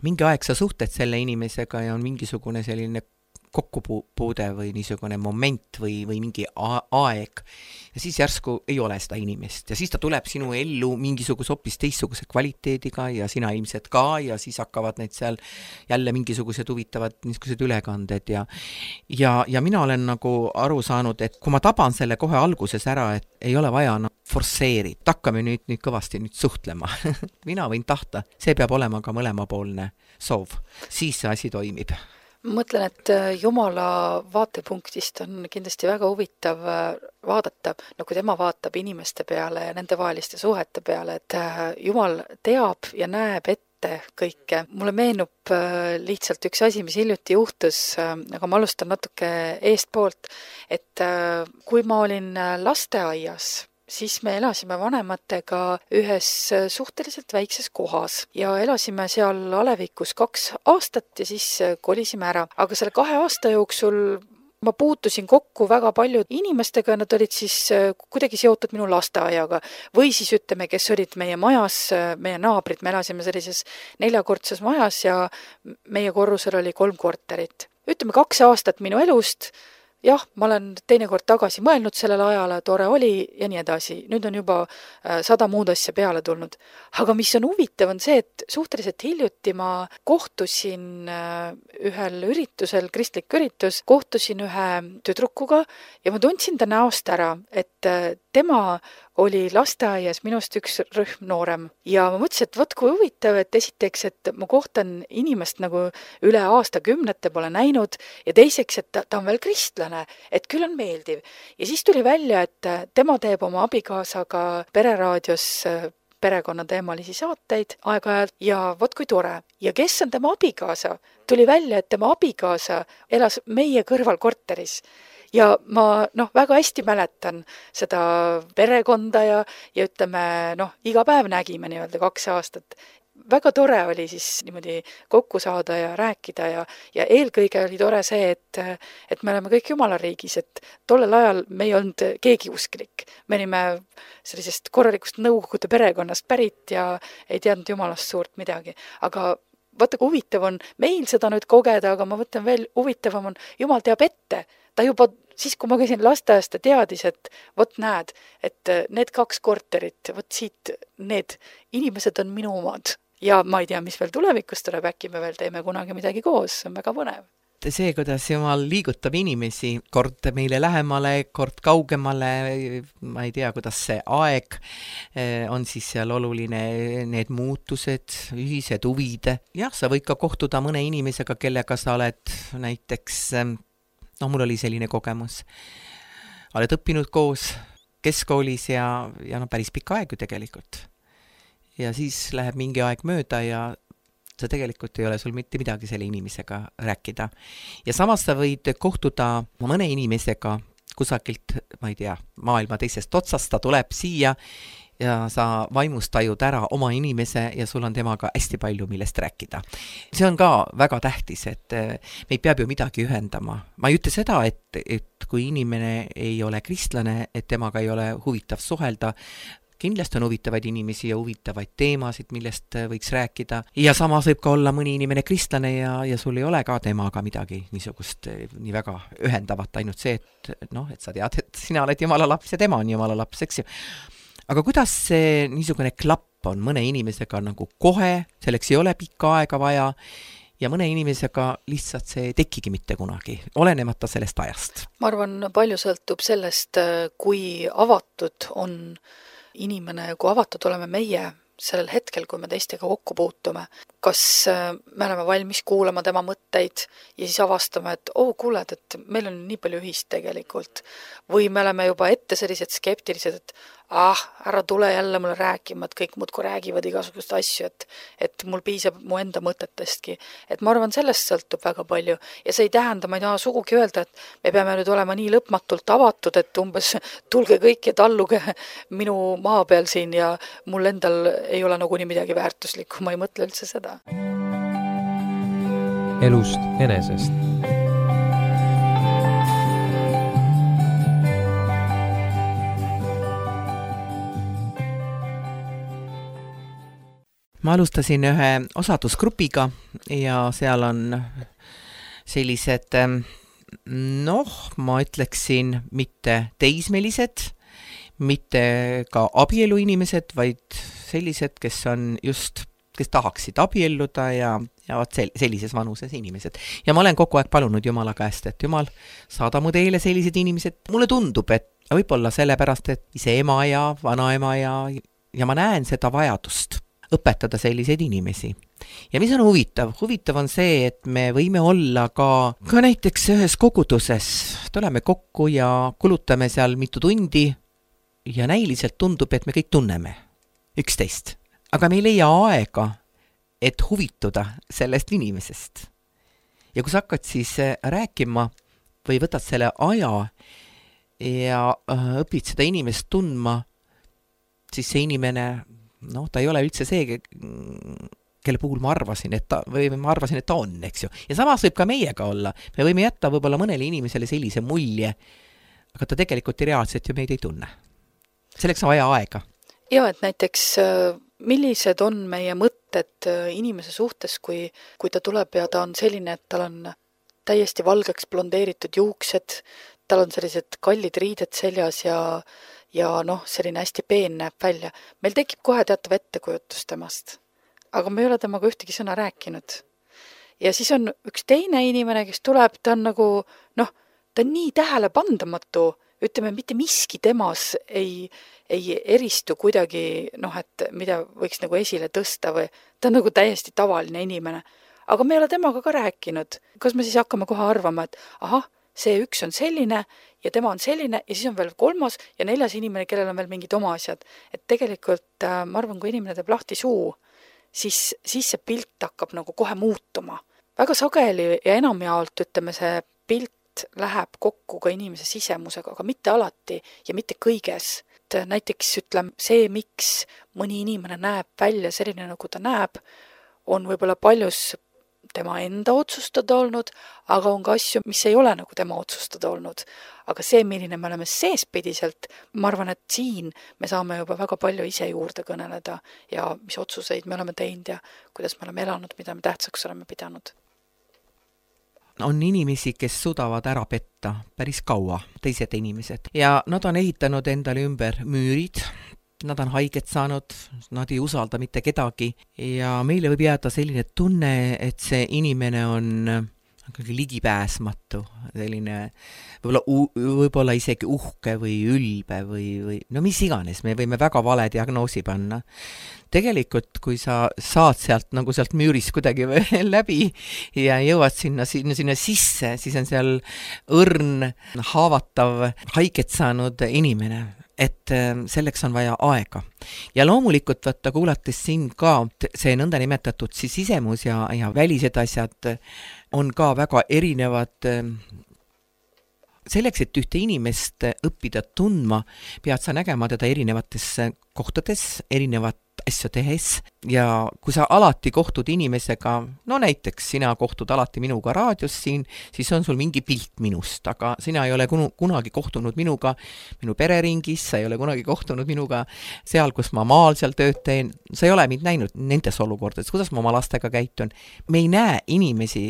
Mingi aeg sa suhted selle inimesega ja on mingisugune selline kokkupuude või niisugune moment või mingi aeg. Ja siis järsku ei ole seda inimest. Ja siis ta tuleb sinu ellu mingisuguse hoopis teistsuguse kvaliteediga ja sina ilmselt ka ja siis hakkavad need seal jälle mingisugused huvitavad niisugused ülekanded. Ja mina olen nagu aru saanud, et kui ma taban selle kohe alguses ära, et ei ole vaja forsseerida, hakkame nüüd kõvasti suhtlema. Mina võin tahta. See peab olema ka mõlemapoolne soov. Siis see asi toimib. Ma mõtlen, et Jumala vaatepunktist on kindlasti väga huvitav vaadata, kui tema vaatab inimeste peale ja nende vaheliste suhete peale, et Jumal teab ja näeb ette kõike. Mulle meenub lihtsalt üks asi, mis hiljuti juhtus, aga ma alustan natuke eestpoolt, et kui ma olin lasteaias, siis me elasime vanematega ühes suhteliselt väikses kohas ja elasime seal alevikus 2 aastat ja siis kolisime ära. Aga selle 2 aasta jooksul ma puutusin kokku väga palju inimestega, nad olid siis kuidagi seotud minu lasteaiaga või siis ütleme, kes olid meie majas, meie naabrid, me elasime sellises 4-kordses majas ja meie korrusel oli 3 korterit. Ütleme 2 aastat minu elust. Jah, ma olen teinekord tagasi mõelnud sellele ajale, tore oli ja nii edasi. Nüüd on juba 100 muud asja peale tulnud. Aga mis on huvitav on see, et suhteliselt hiljuti ma kohtusin ühel üritusel, kristlik üritus, kohtusin ühe tüdrukuga ja ma tundsin ta näost ära, et tema oli lasteaias minust üks rühm noorem. Ja ma mõtlesin, et võt kui huvitav, et esiteks, et ma kohtan inimest nagu üle aastakümnete pole näinud ja teiseks, et ta on veel kristlane, et küll on meeldiv. Ja siis tuli välja, et tema teeb oma abikaasaga Pereraadios perekonnateemalisi saateid aeg-ajalt ja võt kui tore. Ja kes on tema abikaasa? Tuli välja, et tema abikaasa elas meie kõrval korteris. Ja ma väga hästi mäletan seda perekonda ja ütleme, iga päev nägime nii-öelda 2 aastat. Väga tore oli siis niimoodi kokku saada ja rääkida ja eelkõige oli tore see, et me oleme kõik Jumala riigis, et tollel ajal me ei olnud keegi usklik. Me olime sellisest korralikust nõukogude perekonnast pärit ja ei teadnud Jumalast suurt midagi. Aga vaata, kui huvitav on meil seda nüüd kogeda, aga ma võtan veel huvitavam on, Jumal teab ette. Ta juba siis, kui ma käisin lasteaias, ta teadis, et võt näed, et need 2 korterit, võt siit need inimesed on minu omad. Ja ma ei tea, mis veel tulevikus tuleb, äkki me veel teeme kunagi midagi koos, see on väga põnev. See, kuidas Jumal liigutab inimesi, kord meile lähemale, kord kaugemale, ma ei tea, kuidas see aeg on siis seal oluline, need muutused, ühised huvid. Jah, sa võid ka kohtuda mõne inimesega, kellega sa oled näiteks, mul oli selline kogemus. Oled õppinud koos keskkoolis ja päris pikka aeg ju tegelikult. Ja siis läheb mingi aeg mööda ja sa tegelikult ei ole sul mitte midagi selle inimesega rääkida. Ja samas sa võid kohtuda mõne inimesega kusagilt, ma ei tea, maailma teisest otsast, ta tuleb siia ja sa vaimust tajud ära oma inimese ja sul on temaga hästi palju millest rääkida. See on ka väga tähtis, et meid peab ju midagi ühendama. Ma ei ütle seda, et kui inimene ei ole kristlane, et temaga ei ole huvitav suhelda, kindlasti on huvitavaid inimesi ja huvitavaid teemasid, millest võiks rääkida. Ja samas võib ka olla mõni inimene kristlane ja sul ei ole ka temaga midagi niisugust nii väga ühendavat, ainult see, et sa tead, et sina oled Jumala laps ja tema on Jumala laps, eks ju. Aga kuidas see niisugune klapp on mõne inimesega nagu kohe, selleks ei ole pikka aega vaja ja mõne inimesega lihtsalt see ei tekigi mitte kunagi, olenemata sellest ajast? Ma arvan, palju sõltub sellest, kui avatud on inimene, kui avatud oleme meie sellel hetkel, kui me teistega kokku puutume. Kas me oleme valmis kuulama tema mõtteid ja siis avastame, et kuuled, et meil on nii palju ühist tegelikult. Või me oleme juba ette sellised skeptilised, et ära tule jälle mulle rääkima, et kõik muudkui räägivad igasugust asju, et mul piisab mu enda mõtetestki. Et ma arvan, sellest sõltub väga palju. Ja see ei tähenda, ma ei taha sugugi öelda, et me peame nüüd olema nii lõpmatult avatud, et umbes tulge kõik ja talluge minu maa peal siin ja mul endal ei ole nagu nii midagi väärtuslikku, ma ei mõtle üldse seda. Elust enesest. Ma alustasin ühe osadusgrupiga ja seal on sellised, ma ütleksin mitte teismelised, mitte ka abieluinimesed, vaid sellised, kes tahaksid abielluda ja sellises vanuses inimesed. Ja ma olen kogu aeg palunud Jumala käest, et Jumal, saada mu teele sellised inimesed. Mulle tundub, et võib-olla sellepärast, et ise ema ja vanaema ja ma näen seda vajadust õpetada selliseid inimesi. Ja mis on huvitav? Huvitav on see, et me võime olla ka näiteks ühes koguduses. Tuleme kokku ja kulutame seal mitu tundi ja näiliselt tundub, et me kõik tunneme üksteist. Aga me ei leia aega, et huvituda sellest inimesest. Ja kui sa hakkad siis rääkima või võtad selle aja ja õpid seda inimest tundma, siis see inimene ta ei ole üldse see, kelle puhul ma arvasin, et ta on, eks ju. Ja samas võib ka meiega olla. Me võime jätta võib-olla mõnele inimesele sellise mulje, aga ta tegelikult reaalselt ju meid ei tunne. Selleks on vaja aega. Ja, et näiteks millised on meie mõtted inimese suhtes, kui ta tuleb ja ta on selline, et tal on täiesti valgeks blondeeritud juuksed, tal on sellised kallid riided seljas ja selline hästi peen näeb välja. Meil tekib kohe teatav ettekujutus temast, aga me ei ole temaga ühtegi sõna rääkinud. Ja siis on üks teine inimene, kes tuleb, ta on nagu, ta on nii tähelepandamatu, ütleme, mitte miski temas ei eristu kuidagi, et mida võiks nagu esile tõsta või ta on nagu täiesti tavaline inimene. Aga me ei ole temaga ka rääkinud. Kas me siis hakkame kohe arvama, et see üks on selline ja tema on selline ja siis on veel 3. ja 4. inimene, kellel on veel mingid oma asjad. Et tegelikult ma arvan, kui inimene teeb lahti suu, siis see pilt hakkab nagu kohe muutuma. Väga sageli ja enamjaolt, ütleme, see pilt läheb kokku ka inimese sisemusega, aga mitte alati ja mitte kõiges. Et näiteks ütleme, see, miks mõni inimene näeb välja selline, nagu ta näeb, on võib-olla paljus tema enda otsustada olnud, aga on ka asju, mis ei ole nagu tema otsustada olnud. Aga see, milline me oleme seespidiselt, ma arvan, et siin me saame juba väga palju ise juurde kõneleda ja mis otsuseid me oleme teinud ja kuidas me oleme elanud, mida me tähtsaks oleme pidanud. On inimesi, kes suudavad ära petta päris kaua, teised inimesed. Ja nad on ehitanud endale ümber müürid, nad on haiget saanud, nad ei usalda mitte kedagi ja meile võib jääda selline tunne, et see inimene on ligipääsmatu, selline võib-olla isegi uhke või ülbe või mis iganes, me võime väga vale diagnoosi panna. Tegelikult, kui sa saad sealt müürist kuidagi läbi ja jõuad sinna sisse, siis on seal õrn, haavatav, haiget saanud inimene. Et selleks on vaja aega. Ja loomulikult kuulates siin ka see nõnda nimetatud sisemus ja välised asjad on ka väga erinevad selleks, et ühte inimest õppida tundma, pead sa nägema teda erinevates kohtades, erinevat asju tehes ja kui sa alati kohtud inimesega, no näiteks sina kohtud alati minuga raadios siin, siis on sul mingi pilt minust, aga sina ei ole kunagi kohtunud minuga minu pereringis, sa ei ole kunagi kohtunud minuga seal, kus ma maal seal tööd teen, sa ei ole mind näinud nendes olukordades, kuidas ma oma lastega käitun. Me ei näe inimesi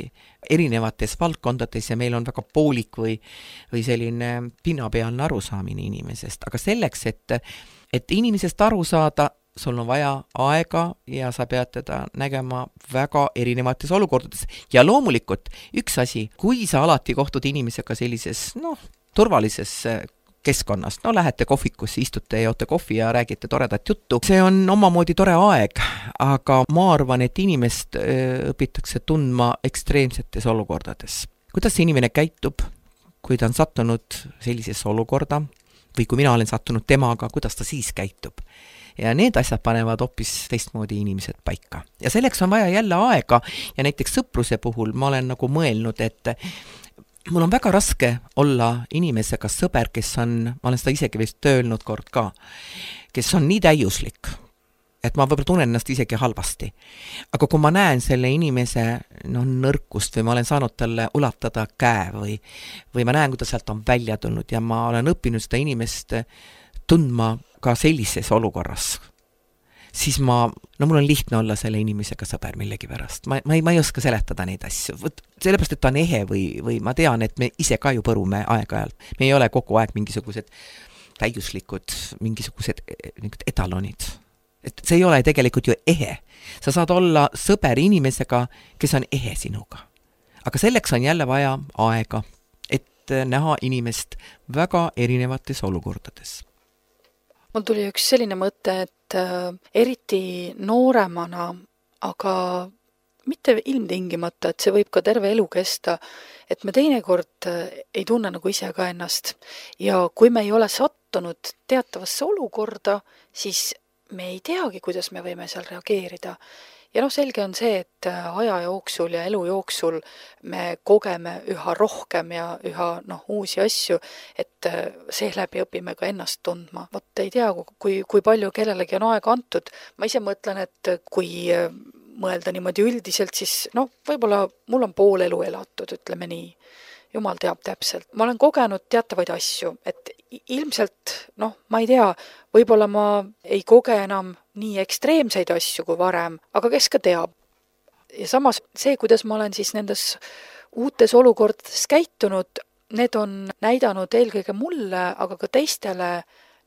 erinevates valdkondades ja meil on väga poolik või selline pinnapealne arusaamine inimesest, aga selleks, et inimesest aru saada, sul on vaja aega ja sa pead teda nägema väga erinevates olukordades. Ja loomulikult üks asi, kui sa alati kohtud inimesega sellises, turvalises keskkonnas, lähete kohvikusse, istute, joote kohvi ja räägite toredat juttu, see on omamoodi tore aeg, aga ma arvan, et inimest õpitakse tundma ekstreemsetes olukordades. Kuidas see inimene käitub, kui ta on sattunud sellisesse olukorda või kui mina olen sattunud temaga, kuidas ta siis käitub? Ja need asjad panevad hoopis teistmoodi inimesed paika. Ja selleks on vaja jälle aega ja näiteks sõpruse puhul ma olen nagu mõelnud, et mul on väga raske olla inimesega sõber, kes on, ma olen seda isegi vist öelnud kord ka, kes on nii täiuslik, et ma võib-olla tunnen ennast isegi halvasti. Aga kui ma näen selle inimese nõrkust või ma olen saanud talle ulatada käe või ma näen, kuidas sealt on välja tulnud ja ma olen õppinud seda inimest tundma ka sellises olukorras, siis mul on lihtne olla selle inimesega sõber millegi pärast. Ma ei oska seletada neid asju. Sellepärast, et ta on ehe või ma tean, et me ise ka ju põrume aeg-ajalt. Me ei ole kogu aeg mingisugused täiuslikud, mingisugused etalonid. Et see ei ole tegelikult ju ehe. Sa saad olla sõber inimesega, kes on ehe sinuga. Aga selleks on jälle vaja aega, et näha inimest väga erinevates olukordades. Mul tuli üks selline mõte, et eriti nooremana, aga mitte ilmtingimata, et see võib ka terve elu kesta, et me teinekord ei tunne nagu ise ka ennast. Ja kui me ei ole sattunud teatavasse olukorda, siis me ei teagi, kuidas me võime seal reageerida. Ja selge on see, et aja jooksul ja elu jooksul me kogeme üha rohkem ja üha uusi asju, et seeläbi õpime ka ennast tundma. Vot ei tea, kui palju kellelegi on aega antud. Ma ise mõtlen, et kui mõelda niimoodi üldiselt, siis võib-olla mul on pool elu elatud, ütleme nii. Jumal teab täpselt. Ma olen kogenud teatavaid asju, et ilmselt, ma ei tea, võib-olla ma ei koge enam nii ekstreemseid asju kui varem, aga kes ka teab. Ja samas see, kuidas ma olen siis nendes uutes olukordades käitunud, need on näidanud eelkõige mulle, aga ka teistele,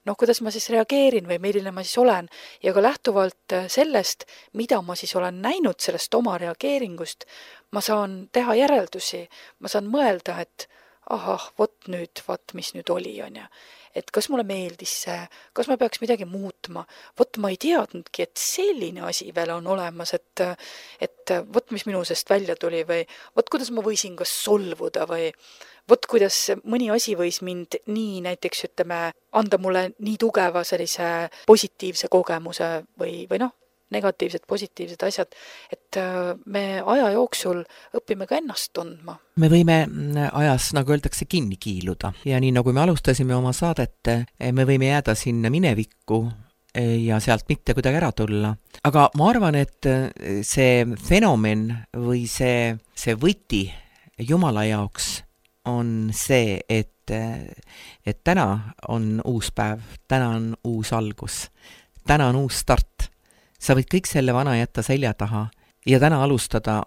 kuidas ma siis reageerin või milline ma siis olen. Ja ka lähtuvalt sellest, mida ma siis olen näinud sellest oma reageeringust, ma saan teha järeldusi, ma saan mõelda, et mis nüüd oli, on ja. Et kas mulle meeldis see, kas ma peaks midagi muutma, ma ei teadnudki, et selline asi veel on olemas, et mis minu sest välja tuli või kuidas ma võisin kas solvuda või kuidas mõni asi võis mind nii näiteks, anda mulle nii tugeva sellise positiivse kogemuse või negatiivsed, positiivsed asjad, et me aja jooksul õpime ka ennast tundma. Me võime ajas, nagu öeldakse, kinni kiiluda ja nii nagu me alustasime oma saadet, me võime jääda sinna minevikku ja sealt mitte kuidagi ära tulla. Aga ma arvan, et see fenomen või see võti Jumala jaoks on see, et täna on uus päev, täna on uus algus, täna on uus start. Sa võid kõik selle vana jätta selja taha ja täna alustada,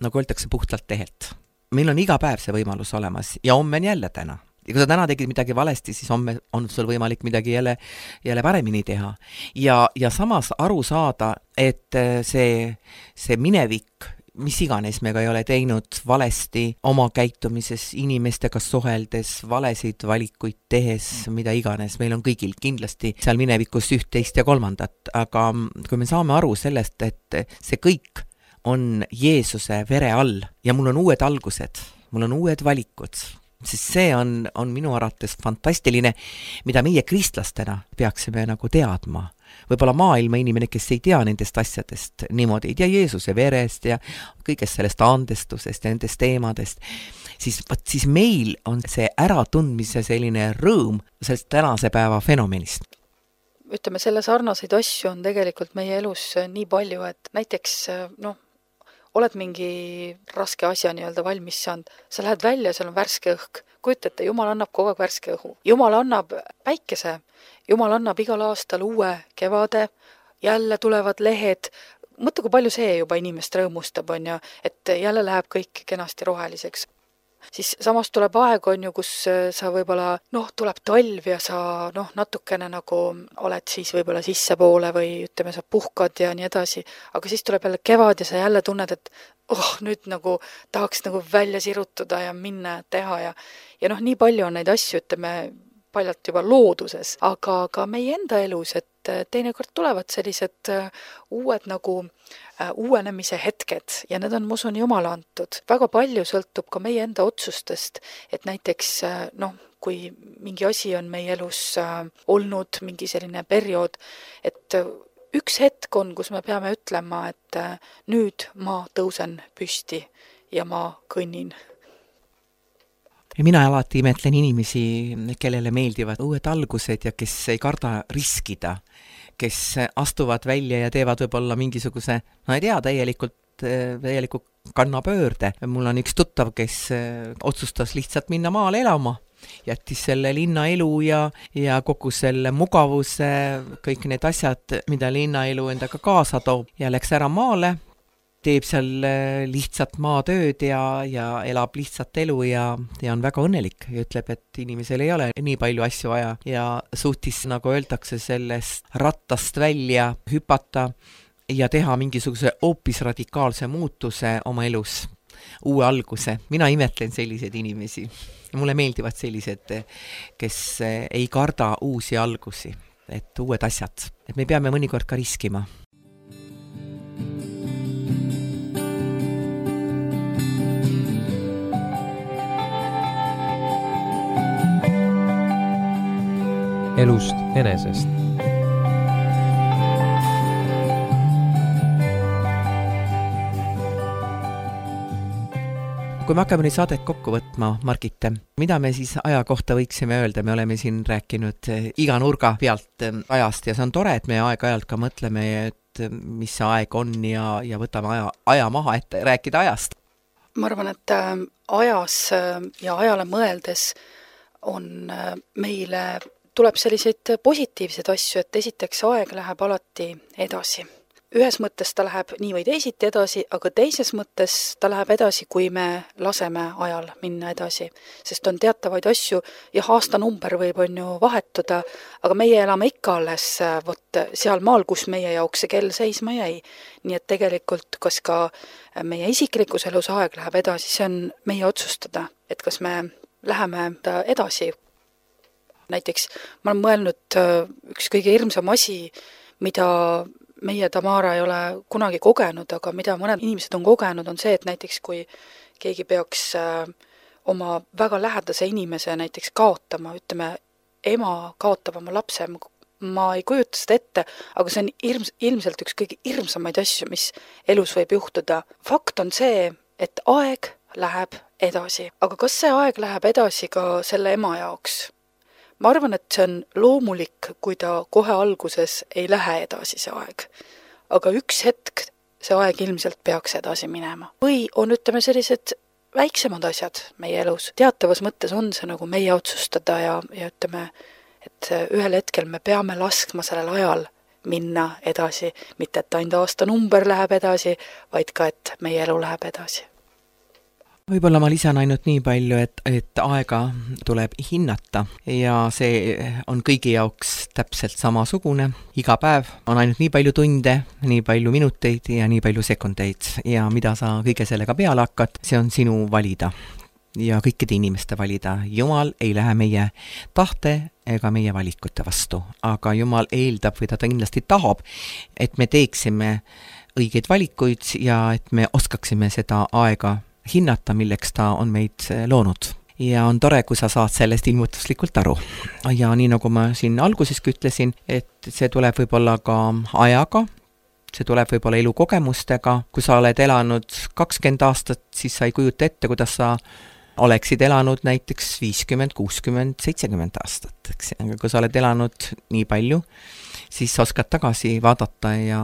nagu öeldakse, puhtalt tehelt. Meil on iga päev see võimalus olemas ja homme on jälle täna. Ja kui sa täna tegid midagi valesti, siis homme on sul võimalik midagi jälle paremini teha. Ja samas aru saada, et see minevik, mis iganes me ka ei ole teinud valesti oma käitumises, inimestega suheldes, valesid valikuid tehes, mida iganes, meil on kõigil kindlasti seal minevikus üht, teist ja kolmandat, aga kui me saame aru sellest, et see kõik on Jeesuse vere all ja mul on uued algused, mul on uued valikud, sest see on minu arvates fantastiline, mida meie kristlastena peaksime nagu teadma. Võib-olla maailma inimene, kes ei tea nendest asjadest niimoodi, ei tea Jeesuse verest ja kõigest sellest andestusest ja nendest teemadest, siis meil on see äratundmise selline rõõm sellest tänase päeva fenomenist. Ütleme, selle sarnaseid asju on tegelikult meie elus nii palju, et näiteks oled mingi raske asja nii-öelda valmis saanud, sa lähed välja, seal on värske õhk. Kujutate, Jumal annab kogu aeg värske õhu. Jumal annab päikese, Jumal annab igal aastal uue kevade, jälle tulevad lehed. Mõtle, kui palju see juba inimest rõõmustab, on ju, et jälle läheb kõik kenasti roheliseks. Siis samas tuleb aeg, on ju, kus sa võib-olla, tuleb talv ja sa natukene nagu oled siis võib-olla sissepoole või ütleme, sa puhkad ja nii edasi, aga siis tuleb jälle kevad ja sa jälle tunned, et nüüd nagu tahaks nagu välja sirutuda ja minna teha ja nii palju on neid asju, ütleme, paljalt juba looduses, aga ka meie enda elus, et teinekord tulevad sellised uued nagu uuenemise hetked ja need on, ma usun, Jumala antud. Väga palju sõltub ka meie enda otsustest, et näiteks kui mingi asi on meie elus olnud, mingi selline periood, et üks hetk on, kus me peame ütlema, et nüüd ma tõusen püsti ja ma kõnnin. Ja mina alati imetlen inimesi, kellele meeldivad uued algused ja kes ei karda riskida, kes astuvad välja ja teevad võib-olla mingisuguse, ei tea, täielikult kannapöörde. Mul on üks tuttav, kes otsustas lihtsalt minna maale elama, jättis selle linnaelu ja kogu selle mugavuse, kõik need asjad, mida linnaelu endaga kaasa toob ja läks ära maale, teeb seal lihtsalt maatööd ja elab lihtsalt elu ja on väga õnnelik ja ütleb, et inimesel ei ole nii palju asju vaja ja suutis, nagu öeldakse, sellest rattast välja hüpata ja teha mingisuguse hoopis radikaalse muutuse oma elus, uue alguse. Mina imetlen selliseid inimesi. Mulle meeldivad sellised, kes ei karda uusi algusi, et uued asjad. Et me peame mõnikord ka riskima. Elust enesest. Kui me hakkame nüüd saadet kokku võtma, Margit, mida me siis aja kohta võiksime öelda? Me oleme siin rääkinud iga nurga pealt ajast ja see on tore, et me aeg-ajalt ka mõtleme, et mis see aeg on ja võtame aja maha, et rääkida ajast. Ma arvan, et ajas ja ajale mõeldes on meile tuleb selliseid positiivseid asju, et esiteks aeg läheb alati edasi. Ühes mõttes ta läheb nii või teisiti edasi, aga teises mõttes ta läheb edasi, kui me laseme ajal minna edasi. Sest on teatavaid asju, aastanumber võib on ju vahetuda, aga meie elame ikka alles seal maal, kus meie jaoks see kell seisma jäi. Nii et tegelikult, kas ka meie isiklikus elus aeg läheb edasi, see on meie otsustada, et kas me läheme edasi. Näiteks ma olen mõelnud üks kõige hirmsam asi, mida meie Tamara ei ole kunagi kogenud, aga mida mõned inimesed on kogenud, on see, et näiteks kui keegi peaks oma väga lähedase inimese näiteks kaotama, ütleme, ema kaotab oma lapse, ma ei kujuta seda ette, aga see on ilmselt üks kõige hirmsamaid asju, mis elus võib juhtuda. Fakt on see, et aeg läheb edasi. Aga kas see aeg läheb edasi ka selle ema jaoks? Ma arvan, et see on loomulik, kui ta kohe alguses ei lähe edasi see aeg. Aga üks hetk see aeg ilmselt peaks edasi minema. Või on, ütleme, sellised väiksemad asjad meie elus. Teatavas mõttes on see nagu meie otsustada ja ütleme, et ühel hetkel me peame laskma sellel ajal minna edasi. Mitte, et ainult aastanumber läheb edasi, vaid ka, et meie elu läheb edasi. Võib-olla ma lisan ainult nii palju, et aega tuleb hinnata ja see on kõigi jaoks täpselt samasugune. Iga päev on ainult nii palju tunde, nii palju minuteid ja nii palju sekundeid ja mida sa kõige sellega peale hakkad, see on sinu valida ja kõikide inimeste valida. Jumal ei lähe meie tahte ega meie valikute vastu, aga Jumal eeldab või ta kindlasti tahab, et me teeksime õigeid valikuid ja et me oskaksime seda aega hinnata, milleks ta on meid loonud. ja on tore, kui sa saad sellest ilmutuslikult aru. Ja nii nagu ma siin alguseski ütlesin, et see tuleb võib-olla ka ajaga, see tuleb võib-olla elukogemustega, kui sa oled elanud 20 aastat, siis sa ei kujuta ette, kuidas sa oleksid elanud näiteks 50, 60, 70 aastat, eks. Aga kui sa oled elanud nii palju, siis sa oskad tagasi vaadata ja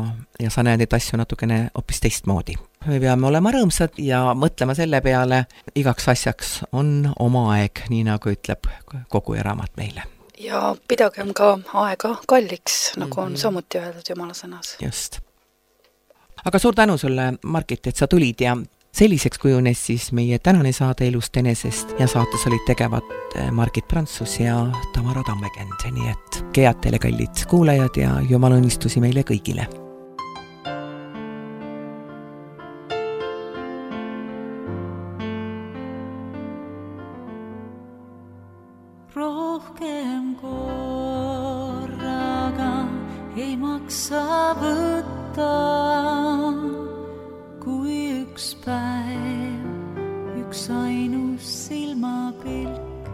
sa näed neid asju natukene hoopis teistmoodi. Me peame olema rõõmsad ja mõtlema selle peale, igaks asjaks on oma aeg, nii nagu ütleb kogu raamat meile. Ja pidagem ka aega kalliks, nagu on samuti öeldud Jumala sõnas. Just. Aga suur tänu sulle, Margit, et sa tulid ja selliseks kujunes siis meie tänane saade Elust enesest ja saates olid tegevad Margit Prantsus ja Tamara Tammekend. Nii et kead teile kallid kuulajad ja Jumala õnnistusi meile kõigile. Rohkem korraga ei maksa võtta, kui üks päev, üks ainus silmapilk.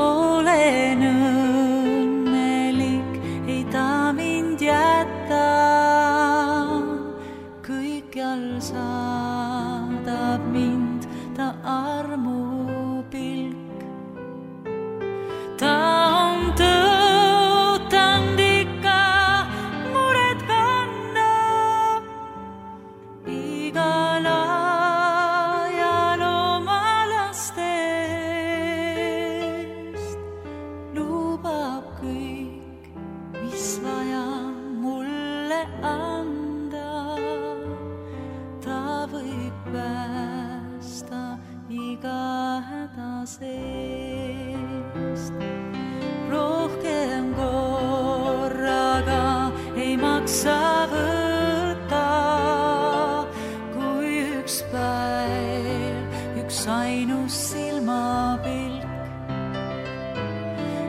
Olen õnnelik, ei ta mind jätta, kõikjal saadab mind ta armupilk. Ta on tõotanud ikka mured kanna, igal ajal oma lastest. Lubab kõik, mis vaja mulle anda, ta võib päästa iga häda seest. Rohkem korraga ei maksa võtta, kui üks päev, üks ainus silmapilk.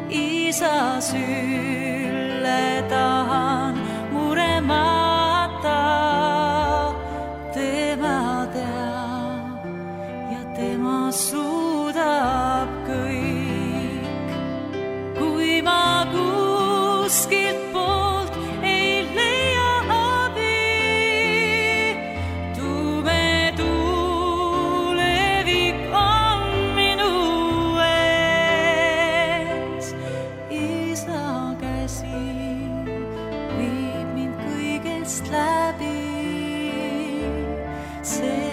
Isa sülle tahan muremata, tema teab ja tema suudab kõik. Kui ma kuskilt poolt ei leia abi, tume tulevik on minu ees. Isa käsi viib mind kõigest läbi, see